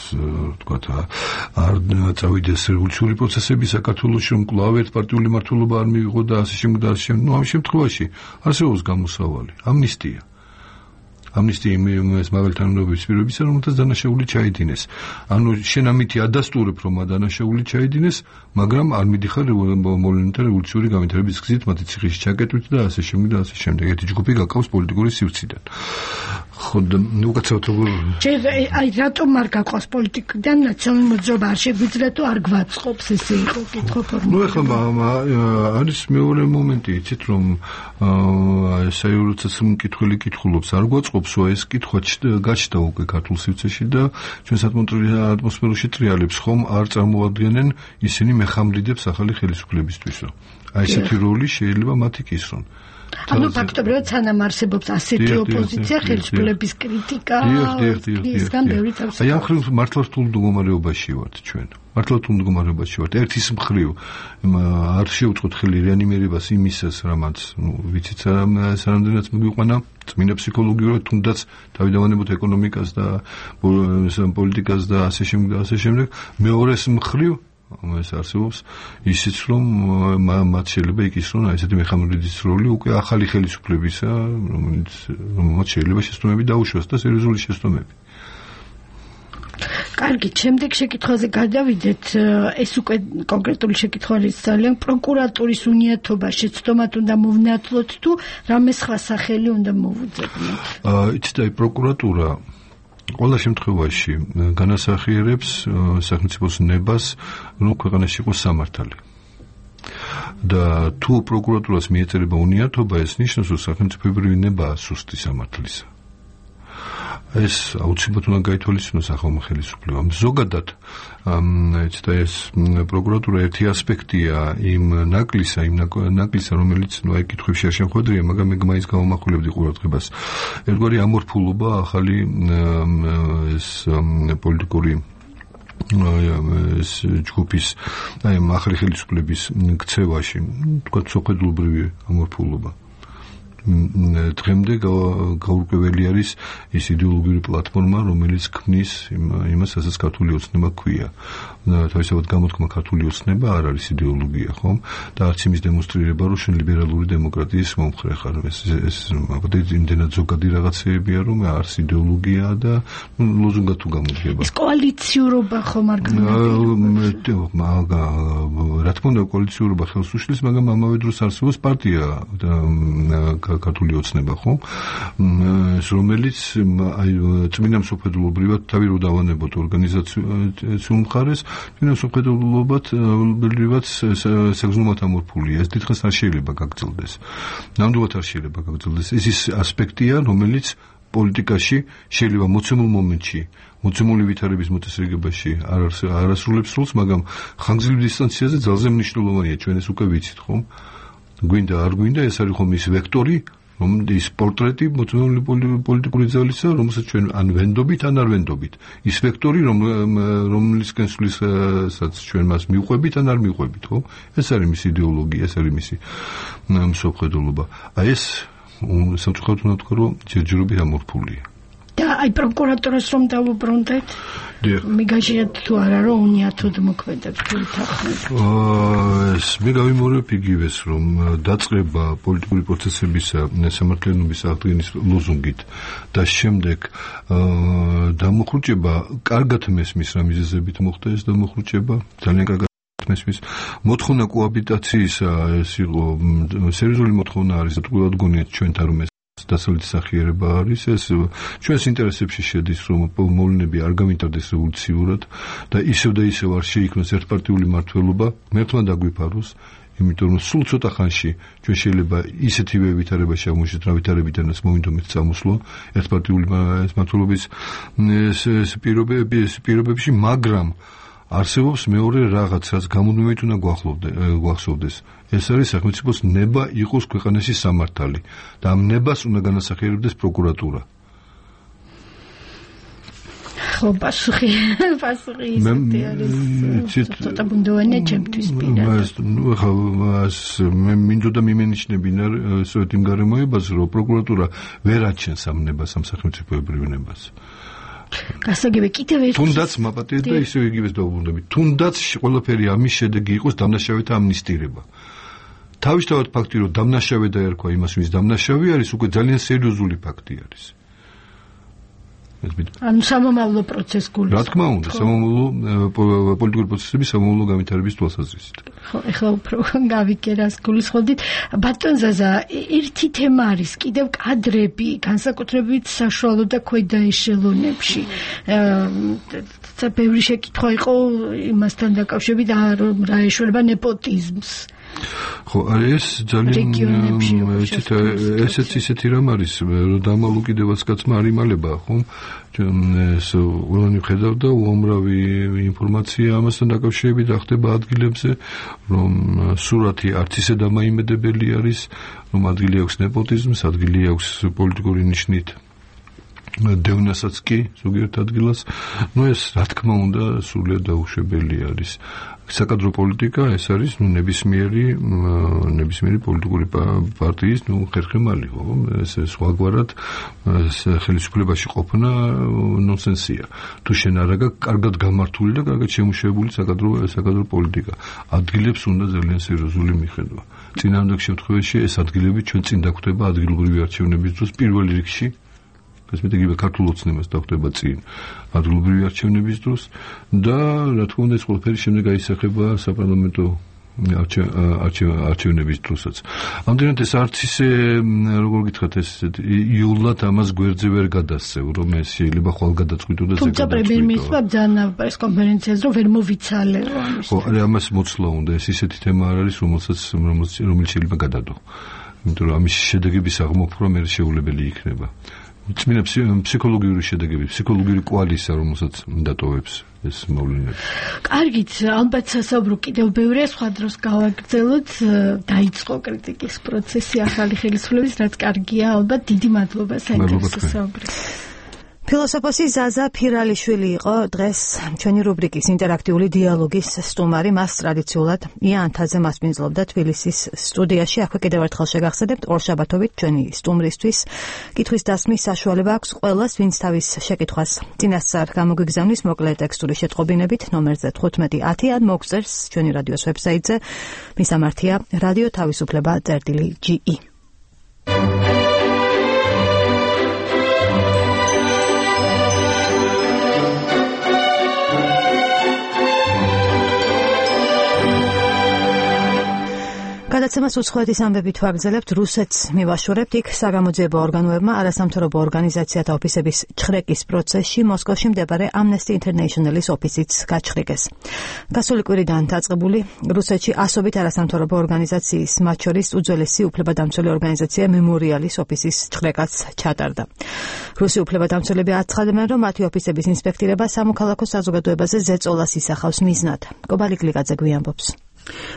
E: თქვათ არ წავიდეს რევოლუციური პროცესები საქართველოში რომ კვლავ ერთპარტიული მმართველობა არ მივიღო და ასე შემდეგ და ასე შემდეგ. ნუ ამ შემთხვევაში არსებობს გამოსავალი ამნისტია ამნისტია იმის მაღალი თანამდებობის პირობისა რომელთაც დანაშაული ჩაიდინეს. ანუ შენ ამითი ადასტურებ რომ დანაშაული ჩაიდინეს, მაგრამ არ მიდიხარ მოვლენათა რევოლუციური განვითარების გზით მათი ციხეში ჩაკეტვით და ასე შემდეგ და ასე შემდეგ. ერთი ჯგუფი გაკავს პოლიტიკური სივრციდან. ხო და უკაცრავად როგორ
C: აი რატომ არ გაკავს პოლიტიკიდან ნაციონალური მოძრაობა არ შეგვიძლია თუ არ გვაწყობს ესე იყო კითხვა ფორმა.
E: ნუ ახლა არის მეორე მომენტი, იცით რომ საერთოდ მკითხველი კითხულობს არ გვაწყობს ეს კითხვა გაჩნდა უკვე ქართულ სივრცეში და ჩვენს ატმოსფეროში ტრიალებს ხომ არ წარმოადგენენ ისინი მეხამრიდებს ახალი ხელისუფლებისთვისო. აი ესეთი როლი შეიძლება მათ იკისრონ.
C: ანუ ფაქტობრივად სანამ არსებობს ასეთი ოპოზიცია ხელისუფლების კრიტიკა ისგან ბევრი თავს.
E: აი ამ ხრივ მართლა რთულ მდგომარეობაში ვართ ჩვენ. მართლა რთულ მდგომარეობაში ვართ. ერთის მხრივ არ შეუწყოთ ხელი რეანიმირებას იმისას, რამაც ნუ ვიცით სანამდენაც მიგვიყვანა წმინდა ფსიქოლოგიურად თუნდაც თავიდანვანებოთ ეკონომიკას და პოლიტიკას და ასე შემდეგ და ასე შემდეგ. მეორეს მხრივ ეს არსებობს ისიც რომ მათ შეიძლება იკისრონ ესეთი მეხამრიდის როლი უკვე ახალი ხელისუფლებისა, რომელიც რომელმაც შეიძლება შეცდომები დაუშვას და სერიოზული შეცდომები.
C: კარგი, შემდეგ შეკითხვაზე გადავიდეთ. ეს უკვე კონკრეტული შეკითხვა არის ძალიან პროკურატურის უნიათობა შეცდომად უნდა მოვნათლოთ თუ რამე სხვა სახელი უნდა მოვუძებნოთ?
E: იცით, აი პროკურატურა ყველა შემთხვევაში განასახიერებს სახელმწიფოს ნებას, რომ ქვეყანაში იყოს სამართალი. და თუ პროკურატურას მიეწერება უნიათობა, ეს ნიშნავს, რომ სახელმწიფოებრივი ნებაა სუსტი სამართლისა. ეს აუცილებლად უნდა გაითვალისწინოს ახალმა ხელისუფლებამ. ზოგადად, იცით, ეს პროკურატურა ერთი ასპექტია იმ ნაკლისა, იმ ნაკლისა, რომელიც ნუ აი კითხვებში არ შემხვედრია, მაგრამ მე მაინც გამომახვილებდი ყურადღებას. ერთგვარი ამორფულობა ახალი ეს პოლიტიკური ეს ჯგუფის აი ახალი ხელისუფლების ქცევაში, თქვა სოხედულობრივი ამორფულობა. დღემდე გაურკვეველი არის ის იდეოლოგიური პლატფორმა, რომელიც ქმნის იმას, რასაც ქართული ოცნება ქვია. თავისთავად გამოთქმა ქართული ოცნება არ არის იდეოლოგია, ხომ? და არც იმის დემონსტრირება, რომ შენ ლიბერალური დემოკრატიის მომხრე ხარ. ეს ეს აბსოლუტურად იმდენად ზოგადი რაღაცეებია, რომ არც იდეოლოგია და ლოზუნგად თუ გამოდგება.
C: ეს კოალიციურობა ხომ არ
E: გამოდგება? რა თქმა უნდა, კოალიციურობა ხელს უშლის, მაგრამ ამავე დროს არსებობს პარტია და ქართული ოცნება, ხო? რომელიც აი წმინდა მსოფლმხედველობრივად თავი რო დავანებოთ ორგანიზაციულ მხარეს, წმინდა მსოფლმხედველობად საგზნობათ ამორფულია. ეს დიდხანს არ შეიძლება გაგრძელდეს. ნამდვილად არ შეიძლება გაგრძელდეს. ეს ის ასპექტია, რომელიც პოლიტიკაში შეიძლება მოცემულ მომენტში, მოცემული ვითარების მოწესრიგებაში არ არ ასრულებს როლს, მაგრამ ხანგრძლივ დისტანციაზე ძალზე მნიშვნელოვანია, ჩვენ ეს უკვე ვიცით, ხო? გვინდა არ გვინდა ეს არის ხომ ის ვექტორი რომ ის პორტრეტი მოწმული პოლიტიკური ძალისა რომელსაც ჩვენ ან ვენდობით ან არ ვენდობით ის ვექტორი რომ რომლისკენ სuliსაც ჩვენ მას მივყვებით ან არ მივყვებით ხო ეს არის მისი იდეოლოგია ეს არის მისი მსოფლმხედველობა აი ეს სამწუხაროდ უნდა ვთქვა რომ ჯერჯერობით ამორფულია
C: და აი პროკურატურას რომ დავუბრუნდეთ მიგაჟიათ თუ არა რომ უნიათოდ მოქმედებს თვითახმად
E: ეს მე გავიმეორებ იგივეს რომ დაწყება პოლიტიკური პროცესებისა სამართლიანობის აღდგენის ლოზუნგით და შემდეგ დამოხრუჭება კარგად მესმის რა მიზეზებით მოხდა ეს დამოხრუჭება ძალიან კარგად მესმის მოთხოვნა კოაბიტაციისა ეს იყო სერიოზული მოთხოვნა არის და თქვათ გონიათ ჩვენთან რომ დასავლეთის სახიერება არის ეს ჩვენს ინტერესებში შედის რომ მოვლენები არ გამიტარდეს რევოლუციურად და ისევ და ისევ არ შეიქმნას ერთპარტიული მმართველობა მერტმა დაგვიფაროს იმიტომ რომ სულ ცოტა ხანში ჩვენ შეიძლება ისეთივე ვითარებაში აღმოჩნდეთ რა ვითარებიდანაც მოვინდომეთ წამოსვლა ერთპარტიული მმართველობის პირობებში მაგრამ არსებობს მეორე რაღაც რაც გამუდმებით უნდა გვახსოვდეს ეს არის სახელმწიფოს ნება იყოს ქვეყანაში სამართალი და ამ ნებას უნდა განასახიერებდეს პროკურატურა
C: ხო პასუხი პასუხი ისეთი არის ცოტა ბუნდოვანია ჩემთვის პირადად
E: ნუ ხა მე მინდოდა მიმენიშნებინა სოეთ იმ გარემოებაზე რომ პროკურატურა ვერ აჩენს ამ ნებას ამ სახელმწიფოებრივ ნებას
C: გასაგები კიდევ ერთი
E: თუნდაც მაპატიეთ და ისევ იგივეს დავუბრუნდებით თუნდაც ყველაფერი ამის შედეგი იყოს დამნაშავეთა ამნისტირება თავისთავად ფაქტი რომ დამნაშავე დაერქვა იმას ვის დამნაშავე არის უკვე ძალიან სერიოზული ფაქტი არის
C: ანუ სამომავლო პროცესს გულისხმობ
E: რა თქმა უნდა სამომავლო პოლიტიკური პროცესების სამომავლო განვითარების თვალსაზრისით
C: ხო ეხლა უფრო გავიკერას გულისხმობდით ბატონ ზაზა ერთი თემა არის კიდევ კადრები განსაკუთრებით საშუალო და ქვედა ეშელონებში და ბევრი შეკითხვა იყო იმასთან დაკავშირებით რა ეშველება nepotizms
E: ხო ეს ძალიან ესეც ისეთი რამ არის რომ დამალუ კიდევაც კაცმა არ იმალება ხო ეს ყველანი ხედავდა უამრავი ინფორმაცია ამასთან დაკავშირებით ახდება ადგილებზე რომ სურათი არც ისე დამაიმედებელი არის რომ ადგილი აქვს nepotizms ადგილი აქვს პოლიტიკური ნიშნით დევნასაც კი ზოგიერთ ადგილას ნუ ეს რა თქმა უნდა სრულიად დაუშვებელი არის საკადრო პოლიტიკა ეს არის ნუ ნებისმიერი ნებისმიერი პოლიტიკური პარტიის ნუ ხერხემალი ხო ეს სხვაგვარად ხელისუფლებაში ყოფნა ნონსენსია თუ შენ არ აგ კარგად გამართული და კარგად შემუშავებული საკადრო საკადრო პოლიტიკა ადგილებს უნდა ძალიან სერიოზული მიხედვა წინააღმდეგ შემთხვევაში ეს ადგილები ჩვენ წინ დაგვხვდება ადგილობრივი არჩევნების დროს პირველ რიგში ეს მეტი გიბე ქართულ ოცნებას დახვდება წინ ადგილობრივი არჩევნების დროს და რა თქმა უნდა ეს ყველაფერი შემდეგ აისახება საპარლამენტო არჩევნების დროსაც. ამდენად ეს არც ისე როგორ გითხრათ ეს იულად ამას გვერდზე ვერ გადასცევ რომ ეს შეიძლება ხვალ გადაწყვიტო და ზეგ
C: თუმცა პრემიერ-მინისტრმა ძალიან პრესკონფერენციაზე რომ ვერ მოვიცალე ამის.
E: ხო, არა ამას მოცლა უნდა ეს ისეთი თემა არ არის რომელსაც რომელიც შეიძლება გადადო. იმიტომ რომ ამის შედეგების აღმოფხვრა მე შეუძლებელი იქნება. წმინდა ფსიქოლოგიური შედეგები, ფსიქოლოგიური კვალისა, რომელსაც დატოვებს ეს მოვლენები.
C: კარგით, ალბათ სასაუბრო კიდევ ბევრია, სხვა დროს გავაგრძელოთ, დაიწყო კრიტიკის პროცესი ახალი ხელისუფლების, რაც კარგია, ალბათ დიდი მადლობა საინტერესო საუბრის.
A: ფილოსოფოსი ზაზა ფირალიშვილი იყო დღეს ჩვენი რუბრიკის ინტერაქტიული დიალოგის სტუმარი. მას ტრადიციულად იანთაზე მასპინძლობდა თბილისის სტუდიაში. აქვე კიდევ ერთხელ შეგახსენებთ, ორშაბათობით ჩვენი სტუმრისთვის კითხვის დასმის საშუალება აქვს ყველას, ვინც თავის შეკითხვას წინასწარ გამოგვიგზავნის მოკლე ტექსტური შეტყობინებით ნომერზე თხუთმეტი ათი ან მოგწერს ჩვენი რადიოს ვებსაიტზე. მისამართია რადიო თავისუფლება წერტილი ჯი ი. გადაცემას უცხოეთის ამბებით ვაგრძელებთ, რუსეთს მივაშორებთ. იქ საგამოძიებო ორგანოებმა არასამთავრობო ორგანიზაციათა ოფისების ჩხრეკის პროცესში მოსკოვში მდებარე Amnesty International-ის ოფისიც გაჩხრიკეს. გასული კვირიდან დაწყებული რუსეთში ასობით არასამთავრობო ორგანიზაციის, მათ შორის უძველესი უფლებადამცველი ორგანიზაცია მემორიალის ოფისის ჩხრეკაც ჩატარდა. რუსი უფლებადამცველები აცხადებენ, რომ მათი ოფისების ინსპექტირება სამოქალაქო საზოგადოებაზე ზეწოლას ისახავს მიზნად. კობალი გლიკაძე გვიანბობს.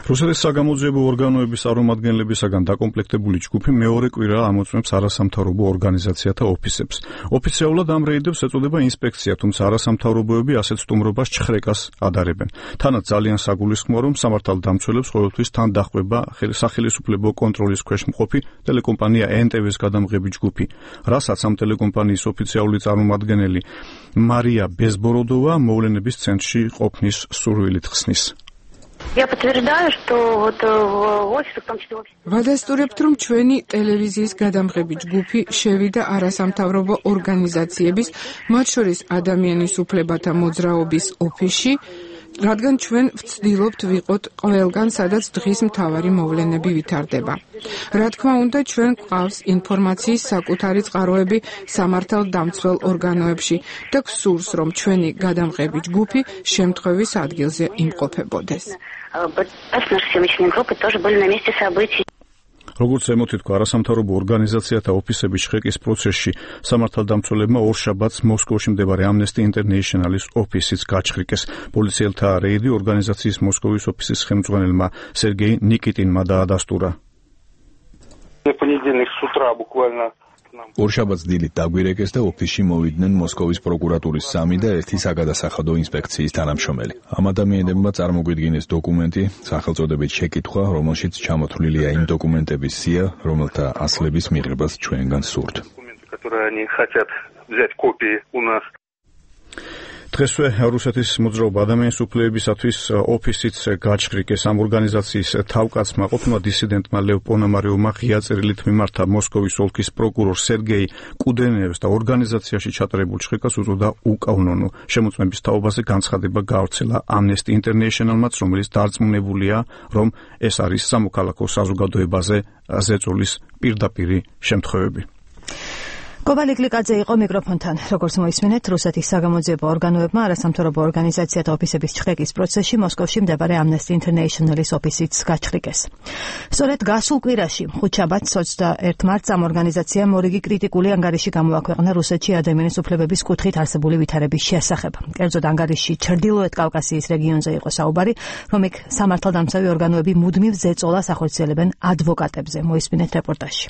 B: რუსეთის საგამოძიებო ორგანოების წარმომადგენლებისაგან დაკომპლექტებული ჯგუფი მეორე კვირა ამოწმებს არასამთავრობო ორგანიზაციათა ოფისებს. ოფიციალურად ამ რეიდებს ეწოდება ინსპექცია, თუმცა არასამთავრობოები ასეთ სტუმრობას ჩხრეკას ადარებენ. თანაც ძალიან საგულისხმოა, რომ სამართალდამცველებს ყოველთვის თან დაჰყვება სახელმწიფო კონტროლის ქვეშ მყოფი ტელეკომპანია ენ ტე ვეს გადამღები ჯგუფი, რასაც ამ ტელეკომპანიის ოფიციალური წარმომადგენელი მარია ბეზბოროდოვა მოვლენების ცენტრში ყოფნის სურვილით ხსნის.
F: Я подтверждаю, что вот офис, в том числе офис.
H: ვადასტურებთ, რომ ჩვენი ტელევიზიის გადამღები ჯგუფი შევიდა არასამთავრობო ორგანიზაციების, მათ შორის ადამიანის უფლებათა მოძრაობის ოფისში, რადგან ჩვენ ვცდილობთ ვიყოთ ყველგან, სადაც დღის მთავარი მოვლენები ვითარდება. რა თქმა უნდა, ჩვენ გვყავს ინფორმაციის საკუთარი წყაროები სამართალდამცველ ორგანოებში და გსურს, რომ ჩვენი გადამღები ჯგუფი შემთხვევის ადგილზე იმყოფებოდეს.
B: როგორც ემოთი თქვა, არასამთავრობო ორგანიზაციათა ოფისების შეკის პროცესში სამართალდამცველებმა ორშაბათს მოსკოვში მდებარე Amnesty International-ის ოფისიც გაჩხრიკეს. პოლიციელთა რეიდი ორგანიზაციის მოსკოვის ოფისის ხელმძღვანელმა სერგეი ნიკიტინმა დაადასტურა.
J: ორშაბათს დილით დაგვირეკეს და ოფისში მოვიდნენ მოსკოვის პროკურატურის სამი და ერთი საგადასახადო ინსპექციის თანამშრომელი. ამ ადამიანებმა წარმოგვიდგინეს დოკუმენტი, სახელწოდებით შეკითხვა, რომელშიც ჩამოთვლილია იმ დოკუმენტების სია, რომელთა ასლების მიღებას ჩვენგან სურთ.
B: დღესვე რუსეთის მოძრაობა ადამიანის უფლებებისათვის ოფისიც გაჩხრიკეს. ამ ორგანიზაციის თავკაცმა, ყოფილმა დისიდენტმა ლევ პონომარევმა ღია წერილით მიმართა მოსკოვის ოლქის პროკურორ სერგეი კუდენევს და ორგანიზაციაში ჩატარებულ ჩხრიკას უწოდა უკანონო. შემოწმების თაობაზე განცხადება გავრცელა Amnesty International-მაც, რომელიც დარწმუნებულია, რომ ეს არის სამოქალაქო საზოგადოებაზე ზეწოლის პირდაპირი შემთხვევები.
A: კობალი გლიკაძე იყო მიკროფონთან. როგორც მოისმინეთ, რუსეთის საგამოძიებო ორგანოებმა არასამთავრობო ორგანიზაციათა ოფისების ჩხრეკის პროცესში მოსკოვში მდებარე Amnesty International-ის ოფისიც გაჩხრიკეს. სწორედ გასულ კვირაში, ხუთშაბათს ოცდაერთი მარტს ამ ორგანიზაციამ მორიგი კრიტიკული ანგარიში გამოაქვეყნა რუსეთში ადამიანის უფლებების კუთხით არსებული ვითარების შესახებ. კერძოდ ანგარიშში ჩრდილოეთ კავკასიის რეგიონზე იყო საუბარი, რომ იქ სამართალდამცავი ორგანოები მუდმივ ზეწოლას ახორციელებენ ადვოკატებზე. მოისმინეთ რეპორტაჟი.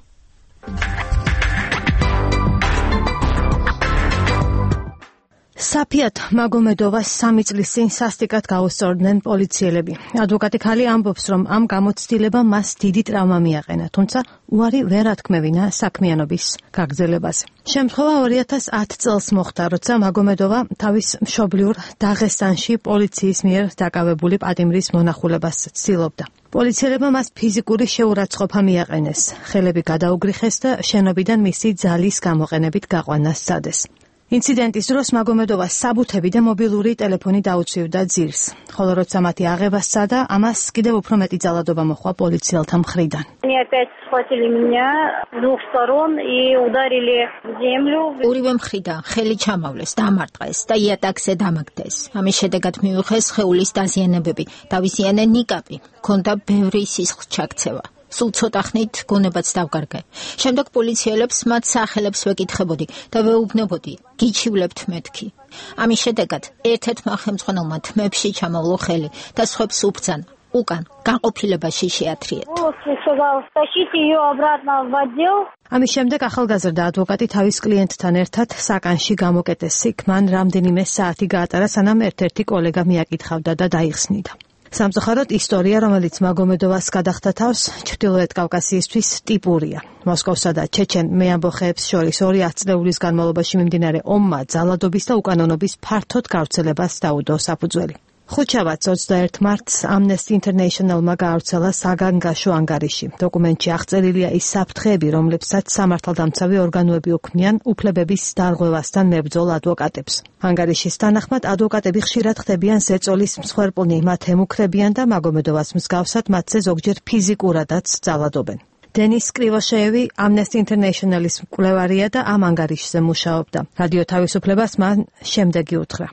A: საფიათ მაგომედოვას სამი წლის წინ სასტიკად გაუსწორდნენ პოლიციელები. ადვოკატი ქალი ამბობს, რომ ამ გამოცდილებამ მას დიდი ტრავმა მიაყენა, თუმცა უარი ვერ ათქმევინა საქმიანობის გაგრძელებაზე. შემთხვევა ორი ათას ათი წელს მოხდა, როცა მაგომედოვა თავის მშობლიურ დაღესტანში პოლიციის მიერ დაკავებული პატიმრის მონახულებას ცდილობდა. პოლიციელებმა მას ფიზიკური შეურაცხყოფა მიაყენეს, ხელები გადაუგრიხეს და შენობიდან მისი ძალის გამოყენებით გაყვანა სცადეს. ინციდენტის დროს მაგომედოვას საბუთები და მობილური ტელეფონი დაუცვივდა ძირს, ხოლო როცა მათი აღება სცადა, ამას კიდევ უფრო მეტი ძალადობა მოჰყვა პოლიციელთა მხრიდან.
K: ორივე მხრიდან ხელი ჩამავლეს, დამარტყეს და იატაკზე დამაგდეს. ამის შედეგად მიუხეს სხეულის დაზიანებები, დავიზიანე ნიკაპი, ჰქონდა ბევრი სისხლს ჩაქცევა. სულ ცოტა ხნით გონებაც დავკარგე. შემდეგ პოლიციელებს მათ სახელებს ვეკითხებოდი და ვეუბნებოდი, გიჩივლებთ მეთქი. ამის შედეგად ერთ-ერთმა ხელმძღვანელმა თმებში ჩამოვლო ხელი და სხვებს უბრძანა. უკან განყოფილებაში შეათრიეთ.
A: ამის შემდეგ ახალგაზრდა ადვოკატი თავის კლიენტთან ერთად საკანში გამოკეტეს. იქ მან რამდენიმე საათი გაატარა, სანამ ერთ-ერთი კოლეგა მიაკითხავდა და დაიხსნიდა. სამწუხაროდ ისტორია, რომელიც მაგომედოვას გადახდა თავს, ჩრდილოეთ კავკასიისთვის ტიპურია. მოსკოვსა და ჩეჩენ მეამბოხეებს შორის ორი ათწლეულის განმავლობაში მიმდინარე ომმა ძალადობის და უკანონობის ფართოდ გავრცელებას დაუდო საფუძველი. ხუთშაბათს ოცდაერთი მარტს Amnesty International-მა გაავრცელა საგანგაშო ანგარიში. დოკუმენტში აღწერილია ის საფრთხეები, რომლებსაც სამართალდამცავი ორგანოები უქმნიან უფლებების დარღვევასთან მებრძოლ ადვოკატებს. ანგარიშის თანახმად, ადვოკატები ხშირად ხდებიან ზეწოლის მსხვერპლნი, მათ ემუქრებიან და მაგომედოვას მსგავსად მათზე ზოგჯერ ფიზიკურადაც ძალადობენ. დენის კრივოშეევი Amnesty International-ის მკვლევარია და ამ ანგარიშზე მუშაობდა. რადიო თავისუფლებას მან შემდეგი უთხრა.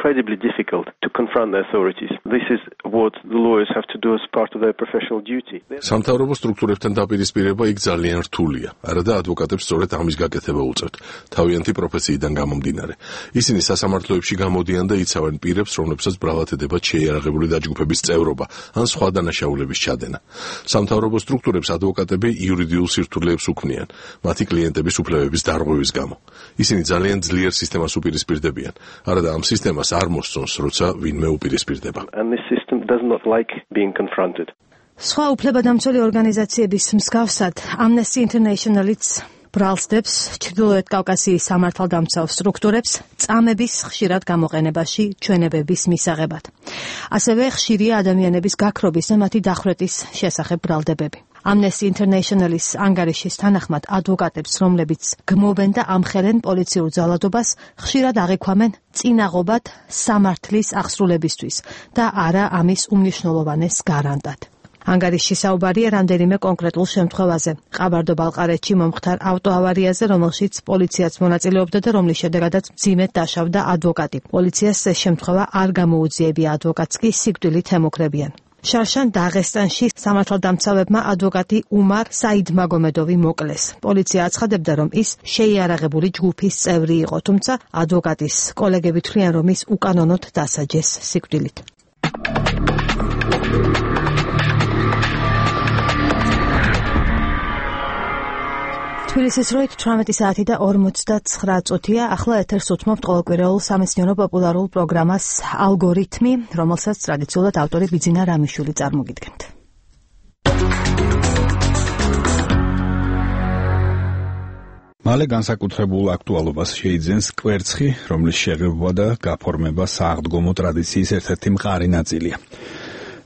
G: incredibly difficult to confront the authorities. This is what the lawyers have to do as part of their professional duty.
E: სამთავრობო სტრუქტურებთან დაპირისპირება იქ ძალიან რთულია. არადა ადვოკატებს სწორედ ამის გაკეთება უწევთ, თავიანთი პროფესიიდან გამომდინარე. ისინი სასამართლოებში გამოდიან და იცავენ პირებს, რომლებსაც ბრალად ედებათ შეიარაღებული დაჯგუფების წევრობა ან სხვა დანაშაულების ჩადენა. სამთავრობო სტრუქტურებს ადვოკატები იურიდიულ სირთულეებს უქმნიან, მათი კლიენტების უფლებების დარღვევის გამო. ისინი ძალიან ძლიერ სისტემას უპირისპირდებიან. არადა ამ სისტემას არ მოსწონს, როცა ვინმე უპირისპირდება.
G: And this system does not like being confronted.
A: სხვა უფლებადამცველი ორგანიზაციების მსგავსად, Amnesty International-იც ბრალსდებს ჩრდილოეთ კავკასიის სამართალდამცავ სტრუქტურებს წამების ხშირად გამოყენებაში ჩვენებების მისაღებად. ასევე ხშირია ადამიანების გაქრობის და მათი დახვრეტის შესახებ ბრალდებები. Amnesty International-ის ანგარიშის თანახმად ადვოკატებს, რომლებიც გმობენ და ამხელენ პოლიციურ ძალადობას, ხშირად აღიქვამენ წინაღობად სამართლის აღსრულებისთვის და არა ამის უმნიშვნელოვანეს გარანტად. ანგარიში საუბარია რამდენიმე კონკრეტულ შემთხვევაზე. ყაბარდო-ბალყარეთში მომხდარ ავტოავარიაზე, რომელშიც პოლიციაც მონაწილეობდა და რომლის შედეგადაც მძიმედ დაშავდა ადვოკატი. პოლიციას ეს შემთხვევა არ გამოუძიებია, ადვოკატს კი სიკვდილით ემუქრებიან. შარშან დაღესტანში სამართალდამცავებმა ადვოკატი უმარ საიდმაგომედოვი მოკლეს. პოლიცია აცხადებდა, რომ ის შეიარაღებული ჯგუფის წევრი იყო, თუმცა ადვოკატის კოლეგები თვლიან, რომ ის უკანონოდ დასაჯეს სიკვდილით. თბილისის დროით თვრამეტი საათი და ორმოცდაცხრა წუთია. ახლა ეთერს უთმობთ ყოველკვირეულ სამეცნიერო პოპულარულ პროგრამას ალგორითმი, რომელსაც ტრადიციულად ავტორი ბიძინა რამიშვილი წარმოგიდგენთ.
U: მალე განსაკუთრებულ აქტუალობას შეიძენს კვერცხი, რომლის შეღებვა და გაფორმება სააღდგომო ტრადიციის ერთ-ერთი მყარი ნაწილია.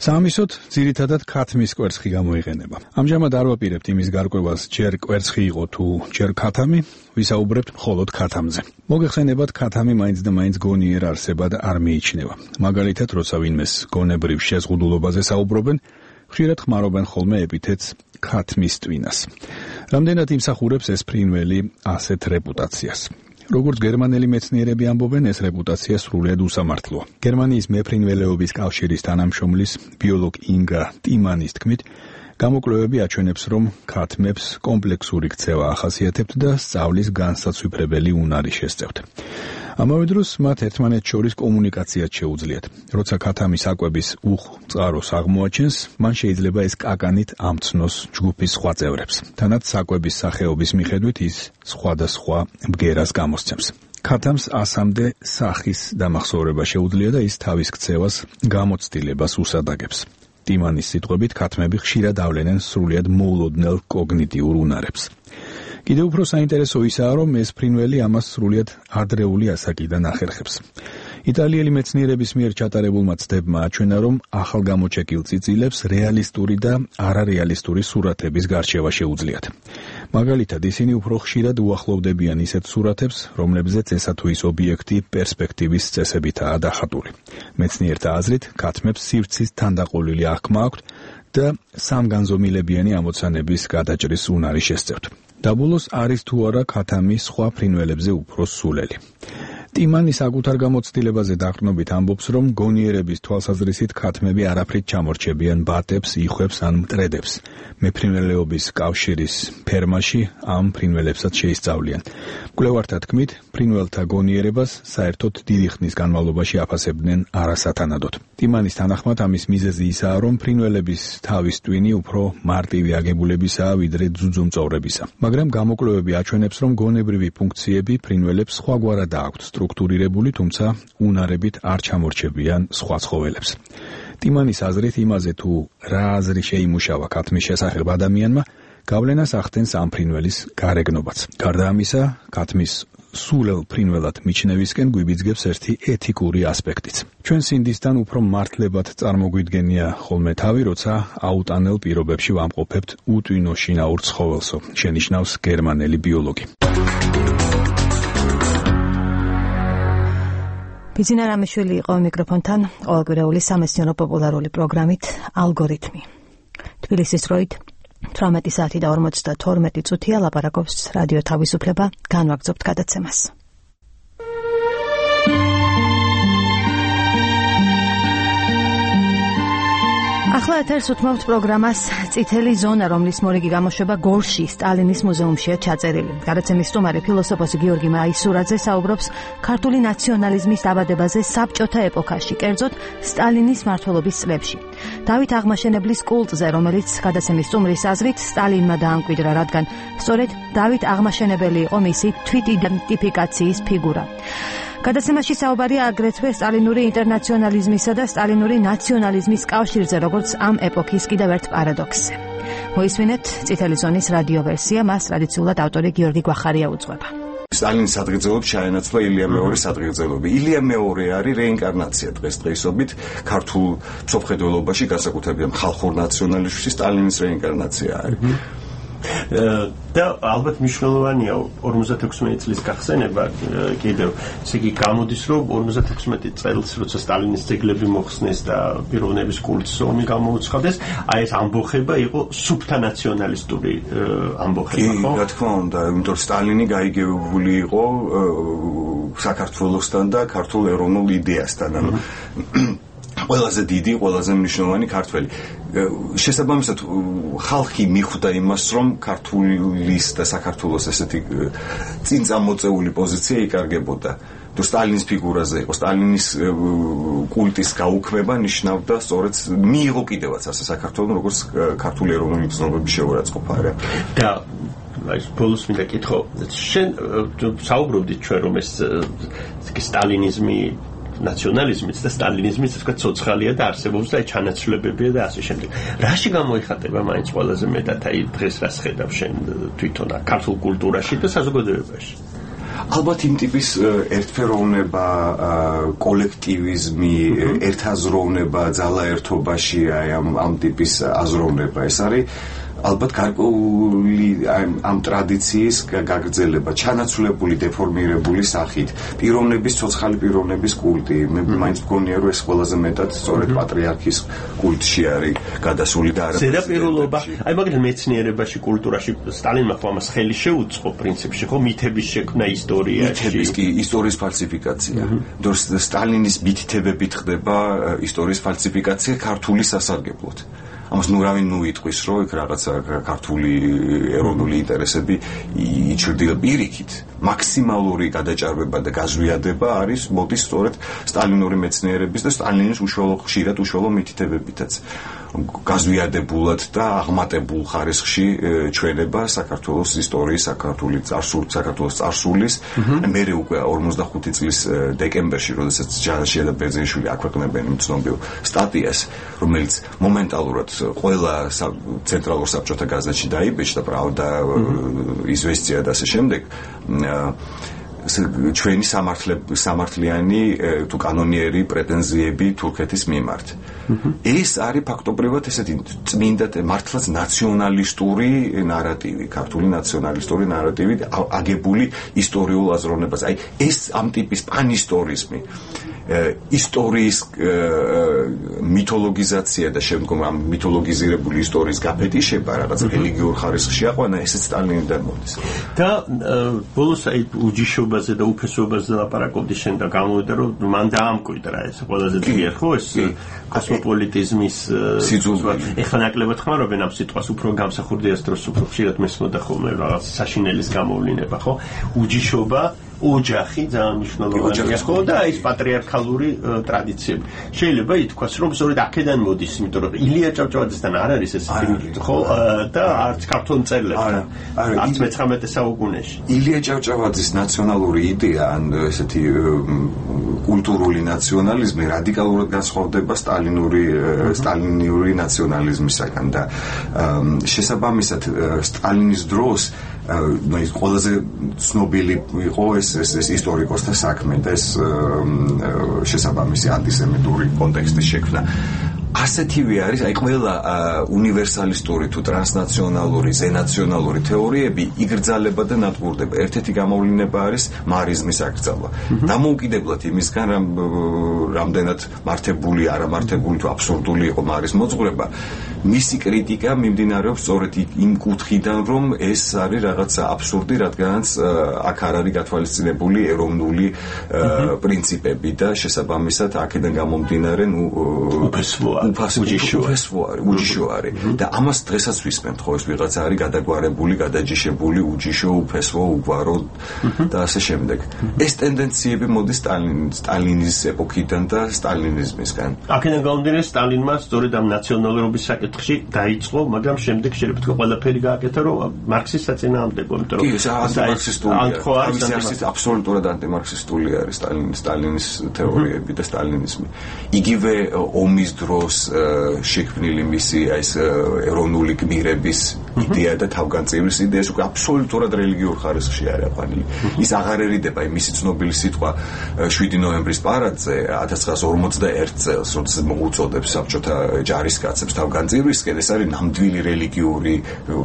U: საამისოდ ძირითადად ქათმის კვერცხი გამოიყენება. ამჟამად არ ვაპირებთ იმის გარკვევას, ჯერ კვერცხი იყო თუ ჯერ ქათამი, ვისაუბრებთ მხოლოდ ქათამზე. მოგეხსენებათ, ქათამი მაინც და მაინც გონიერ არსებად არ მიიჩნევა. მაგალითად, როცა ვინმეს გონებრივ შეზღუდულობაზე საუბრობენ, ხშირად ხმარობენ ხოლმე ეპითეტს ქათმის ტვინას. რამდენად იმსახურებს ეს ფრინველი ასეთ რეპუტაციას? როგორც გერმანელი მეცნიერები ამბობენ, ეს რეპუტაცია სრულიად უსამართლოა. გერმანიის მეფრინველეობის კავშირის თანამშრომლის ბიოლოგ ინგა ტიმანის თქმით, გამოკვლევები აჩვენებს, რომ ქათმებს კომპლექსური ქცევა ახასიათებთ და სწავლის განსაცვიფრებელი უნარი შესწევთ. ამავე დროს მათ ერთმანეთს შორის კომუნიკაციაც შეუძლიათ. როცა ქათამი საკვების უხ-წყაროს აღმოაჩენს, მან შეიძლება ეს კაკანით ამცნოს ჯგუფის სხვა წევრებს. თანაც საკვების სახეობის მიხედვით ის სხვადასხვა ბგერას გამოსცემს. ქათამს ასამდე სახის დამახსოვრება შეუძლია და ის თავის ქცევას გამოცდილებას უსადაგებს. ტიმანის სიტყვებით, ქათმები ხშირად ავლენენ სრულიად მოულოდნელ კოგნიტიურ უნარებს. კიდევ უფრო საინტერესო ისაა, რომ ეს ფრინველი ამას სრულიად ადრეული ასაკიდან ახერხებს. იტალიელი მეცნიერების მიერ ჩატარებულმა ცდებმა აჩვენა, რომ ახალგამოჩეკილ წიწილებს რეალისტური და არარეალისტური სურათების გარჩევა შეუძლიათ. მაგალითად, ისინი უფრო ხშირად უახლოვდებიან ისეთ სურათებს, რომლებზეც ესა თუ ის ობიექტი პერსპექტივის წესებითაა დახატული. მეცნიერთა აზრით, ქათმებს სივრცის თანდაყოლილი აღქმა აქვთ და სამგანზომილებიანი ამოცანების გადაჭრის უნარი შესწევთ. დაბოლოს არის თუ არა ქათამი სხვა ფრინველებზე უფრო სულელი. ტიმანი საკუთარ გამოცდილებაზე დაყრდნობით ამბობს, რომ გონიერების თვალსაზრისით ქათმები არაფრით ჩამორჩებიან ბატებს, იხვებს ან მტრედებს. მეფრინველეობის კავშირის ფერმაში ამ ფრინველებსაც შეისწავლიან. მკვლევართა თქმით, ფრინველთა გონიერებას საერთოდ დიდი ხნის განმავლობაში აფასებდნენ არასათანადოდ. ტიმანის თანახმად ამის მიზეზი ისაა, რომ ფრინველების თავის ტვინი უფრო მარტივი აგებულებისაა ვიდრე ძუძუმწოვრებისა. მაგრამ გამოკვლევები აჩვენებს, რომ გონებრივი ფუნქციები ფრინველებს სხვაგვარად აქვთ სტრუქტურირებული, თუმცა უნარებით არ ჩამორჩებიან სხვა ცხოველებს. ტიმანის აზრით, იმაზე თუ რა აზრი შეიმუშავა ქათმის შესახებ ადამიანმა, გავლენას ახდენს ამ ფრინველის გარეგნობაც. გარდა ამისა, ქათმის სულელ ფრინველად მიჩნევისკენ გვიბიძგებს ერთი ეთიკური ასპექტიც. ჩვენ სინდისთან უფრო მართლებად წარმოგვიდგენია ხოლმე თავი, როცა აუტანელ პირობებში ვამყოფებთ უტვინო შინაურ ცხოველსო, შენიშნავს გერმანელი ბიოლოგი.
A: ბიძინა რამიშვილი იყო მიკროფონთან ყოველკვირეული სამეცნიერო პოპულარული პროგრამით ალგორითმი. თბილისის დროით თვრამეტი საათი და ორმოცდათორმეტი წუთია. ლაპარაკობს რადიო თავისუფლება. განვაგრძობთ გადაცემას. ახლა ეთერს უთმობთ პროგრამას წითელი ზონა, რომლის მორიგი გამოშვება გორში, სტალინის მუზეუმშია ჩაწერილი. გადაცემის სტუმარი ფილოსოფოსი გიორგი მაისურაძე საუბრობს ქართული ნაციონალიზმის დაბადებაზე საბჭოთა ეპოქაში, კერძოდ სტალინის მმართველობის წლებში. დავით აღმაშენებლის კულტზე, რომელიც გადაცემის სტუმრის აზრით სტალინმა დაამკვიდრა, რადგან სწორედ დავით აღმაშენებელი იყო მისი თვითიდენტიფიკაციის ფიგურა. გადაცემაში საუბარია აგრეთვე სტალინური ინტერნაციონალიზმისა და სტალინური ნაციონალიზმის კავშირზე, როგორც ამ ეპოქის კიდევ ერთ პარადოქსზე. მოისმინეთ წითელი ზონის რადიო ვერსია, მას ტრადიციულად ავტორი გიორგი გვახარია უძღვება.
I: სტალინის სადღეგრძელოდ ჩაენაცვლა ილია მეორის სადღეგრძელობი. ილია მეორე არის რეინკარნაცია დღესდღეობით ქართულ მსოფლმხედველობაში, განსაკუთრებით ხალხურ ნაციონალიზმში სტალინის რეინკარნაცია არის.
M: და ალბათ მნიშვნელოვანია ორმოცდათექვსმეტი წლის გახსენება კიდევ ისე იგი გამოდის რომ ორმოცდათექვსმეტი წელს როცა სტალინის ძეგლები მოხსნეს და პიროვნების კულტის ომი გამოუცხადეს აი ეს ამბოხება იყო სუფთა ნაციონალისტური ამბოხება ხო?
I: კი, რა თქმა უნდა, იმიტომ სტალინი გაიგებული იყო საქართველოსთან და ქართულ ეროვნულ იდეასთან, ანუ ყველაზე დიდი, ყველაზე მნიშვნელოვანი ქართველი. შესაბამისად ხალხი მიხვდა იმას, რომ ქართულის და საქართველოს ესეთი წინ წამოწეული პოზიცია იკარგებოდა. თუ სტალინის ფიგურაზე იყო, სტალინის კულტის გაუქმება ნიშნავდა სწორედ მიიღო კიდევაც ასე საქართველოს როგორც ქართული ეროვნული გზნობების შეურაცხყოფა რა.
M: და აი ბოლოს მინდა კითხო, შენ საუბრობდით ჩვენ რომ ეს სტალინიზმი ნაციონალიზმიც და სტალინიზმიც თქვა ცოცხალია და არსებობს და ჩანაცვლებებია და ასე შემდეგ. რაში გამოიხატება მაინც ყველაზე მეტად აი დღეს რას ხედავ შენ თვითონ ქართულ კულტურაში და საზოგადოებაში?
I: ალბათ იმ ტიპის ერთფეროვნება, კოლექტივიზმი, ერთაზროვნება, ძალაერთობაში აი ამ ამ ტიპის აზროვნება ეს არის ალბათ გარკვეული ამ ტრადიციის გაგრძელება, ჩანაცვლებული, დეფორმირებული სახით, პიროვნების, ცოცხალი პიროვნების კულტი. მე მაინც მგონია, რომ ეს ყველაზე მეტად სწორედ პატრიარქის კულტში არის გადასული და არა
M: ზედაპირულობა. აი მაგალითად მეცნიერებაში, კულტურაში სტალინმა ხო ამას ხელი შეუწყო პრინციპში, ხო მითების შექმნა ისტორიაში.
I: მითების კი ისტორიის ფალსიფიკაცია. დორს სტალინის მითითებებით ხდება ისტორიის ფალსიფიკაცია ქართული სასარგებლოდ. ამას ნუ რავინ ნუ იტყვის, რომ იქ რაღაცა ქართული ეროვნული ინტერესები იჩრდილ პირიქით. მაქსიმალური გადაჭარბება და გაზვიადება არის მოდის სწორედ სტალინური მეცნიერების და სტალინის უშუალო ხშირად უშუალო მითითებებითაც. გაზვიადებულად და აღმატებულ ხარისხში ჩვენება საქართველოს ისტორიის, საქართველოს წარსული, საქართველოს წარსულის. მერე უკვე ორმოცდახუთი წლის დეკემბერში, როდესაც ჯანაშია და ბერძენიშვილი აქვეყნებენ იმ ცნობილ სტატიას, რომელიც მომენტალურად ყველა ცენტრალურ საბჭოთა გაზეთში დაიბეჭდა, პრავდა, იზვესტია და ასე შემდეგ. ჩვენი სამართლიანი თუ კანონიერი პრეტენზიები თურქეთის მიმართ. ეს არის ფაქტობრივად ესეთი წმინდა მართლაც ნაციონალისტური ნარატივი, ქართული ნაციონალისტური ნარატივი აგებული ისტორიულ აზროვნებაზე. აი ეს ამ ტიპის პანისტორიზმი, ისტორიის მითოლოგიზაცია და შემდგომ ამ მითოლოგიზირებული ისტორიის გაფეტიშება რაღაც რელიგიურ ხარისხში აყვანა, ესეც სტალინიდან მოდის.
M: და ბოლოს აი უჯიშობაზე და უფესობაზე ლაპარაკობდი შენ და გამოვიდა რომ მან დაამკვიდრა ეს ყველაზე ძლიერ ხო ეს კოსმოპოლიტიზმის სიძულველი. ეხლა ნაკლებად ხმარობენ ამ სიტყვას, უფრო გამსახურდია ეს დროს უფრო ხშირად მესმოდა ხოლმე რაღაც საშინელის გამოვლინება ხო? უჯიშობა ოჯახი ძალიან მნიშვნელოვანია ხო და ეს პატრიარქალური ტრადიციები. შეიძლება ითქვას რომ სწორედ აქედან მოდის, იმიტომ რომ ილია ჭავჭავაძესთან არ არის ეს ხო და არც ქართულ მწერლებთან, არც მეცხრამეტე საუკუნეში.
I: ილია ჭავჭავაძის ნაციონალური იდეა, ან ესეთი კულტურული ნაციონალიზმი რადიკალურად განსხვავდება სტალინური სტალინური ნაციონალიზმისაგან და შესაბამისად სტალინის დროს ну ის ყველაზე ცნობილი იყო ეს ეს ისტორიკოსთა საქმე და ეს შესაბამისი ანტისემიტური კონტექსტის შექმნა. ასეთივე არის, აი ყველა უნივერსალისტური თუ ტრანსნაციონალური, ზენაციონალური თეორიები იგრძალება და ნადგურდება. ერთ-ერთი გამოვლინება არის მარიზმის აკრძალვა. დამოუკიდებლად იმისგან, რომ რამდენად მართებული, არამართებული თუ აბსურდული იყო მარის მოძღვრება, მისი კრიტიკა მიმდინარეობს სწორედ იმ კუთხიდან, რომ ეს არის რაღაცა აბსურდი, რადგანაც აქ არ არის გათვალისწინებული ეროვნული პრინციპები და შესაბამისად აქედან გამომდინარე, ну, უფესოა უფასო არის, უჯიშო არის და ამას დღესაც ვისმენთ, ხო, ეს ვიღაცა არის გადაგვარებული, გადაჯიშებული, უჯიშო, უფესო, უგვარო და ასე შემდეგ. ეს ტენდენციები მოდის სტალინის ეპოქიდან და სტალინიზმისგან.
M: აქედან გამომდინარე სტალინმა სწორედ ამ ნაციონალურობის საკითხში დაიწყო, მაგრამ შემდეგ შეიძლება თქვა ყველაფერი გააკეთა, რომ მარქსის საწინააღმდეგო, იმიტომ რომ
I: ეს ანტიმარქსისტული არის, აბსოლუტურად ანტიმარქსისტული არის სტალინის სტალინის თეორიები და სტალინიზმი. იგივე ომის დროს შექმნილი მისი ეს ეროვნული გმირების იდეა და თავგანწირვის იდეა უკვე აბსოლუტურად რელიგიურ ხარისხში არის აყვანილი. ის აღარერიდება იმისი ცნობილი სიტყვა შვიდი ნოემბრის პარადზე ათას ცხრაას ორმოცდაერთ წელს, როდესაც მოუწოდებს საბჭოთა ჯარისკაცებს თავგანწირვისკენ, ეს არის ნამდვილი რელიგიური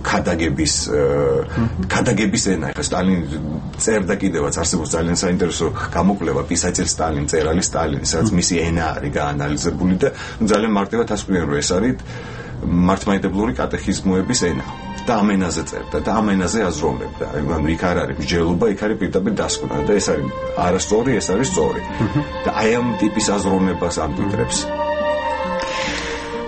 I: ქადაგების ქადაგების ენა. ეხლა სტალინი წერდა კიდევაც არსებობს ძალიან საინტერესო გამოკვლევა პისაჩერ სტალინ, წერალი სტალინი, სადაც მისი ენა არის გაანალიზებული და ძალიან მარტივად ასკვირენ, რომ ეს არის მართლმადიდებლური კატეხიზმოების ენა. და ამ ენაზე წერდა და ამ ენაზე აზროვნებდა. ანუ იქ არ არის მსჯელობა, იქ არის პირდაპირ დასკვნა და ეს არის არასწორი, ეს არის სწორი. და აი ამ ტიპის აზროვნებას ამკვიდრებს.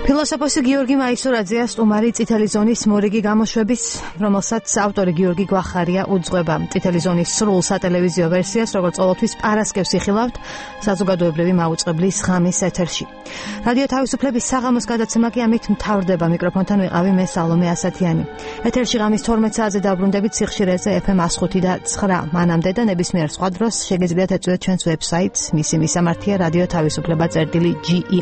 A: ფილოსოფოსი გიორგი მაისურაძეა სტუმარი წითელი ზონის მორიგი გამოშვების, რომელსაც ავტორი გიორგი გვახარია უძღვება. წითელი ზონის სრულ სატელევიზიო ვერსიას, როგორც ყოველთვის პარასკევს იხილავთ საზოგადოებრივი მაუწყებლის ღამის ეთერში. რადიო თავისუფლების საღამოს გადაცემა კი ამით მთავრდება. მიკროფონთან ვიყავი მე სალომე ასათიანი. ეთერში ღამის თორმეტ საათზე დაბრუნდებით სიხშირეზე ეფ ემ one oh five და nine. მანამდე და ნებისმიერ სხვა დროს შეგიძლიათ ეწვიოთ ჩვენს ვებსაიტს, მისი მისამართია რადიო თავისუფლება წერტილი ჯი ი.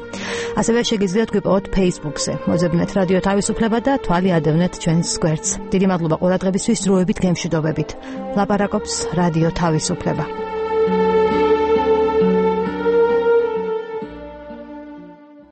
A: ასევე შეგიძლიათ გვიპოვოთ Facebook-ზე. მოძებნეთ რადიო თავისუფლება და თვალი ადევნეთ ჩვენს გვერდს. დიდი მადლობა ყურადღებისთვის, დროებით გემშვიდობებით. ლაპარაკობს რადიო თავისუფლება.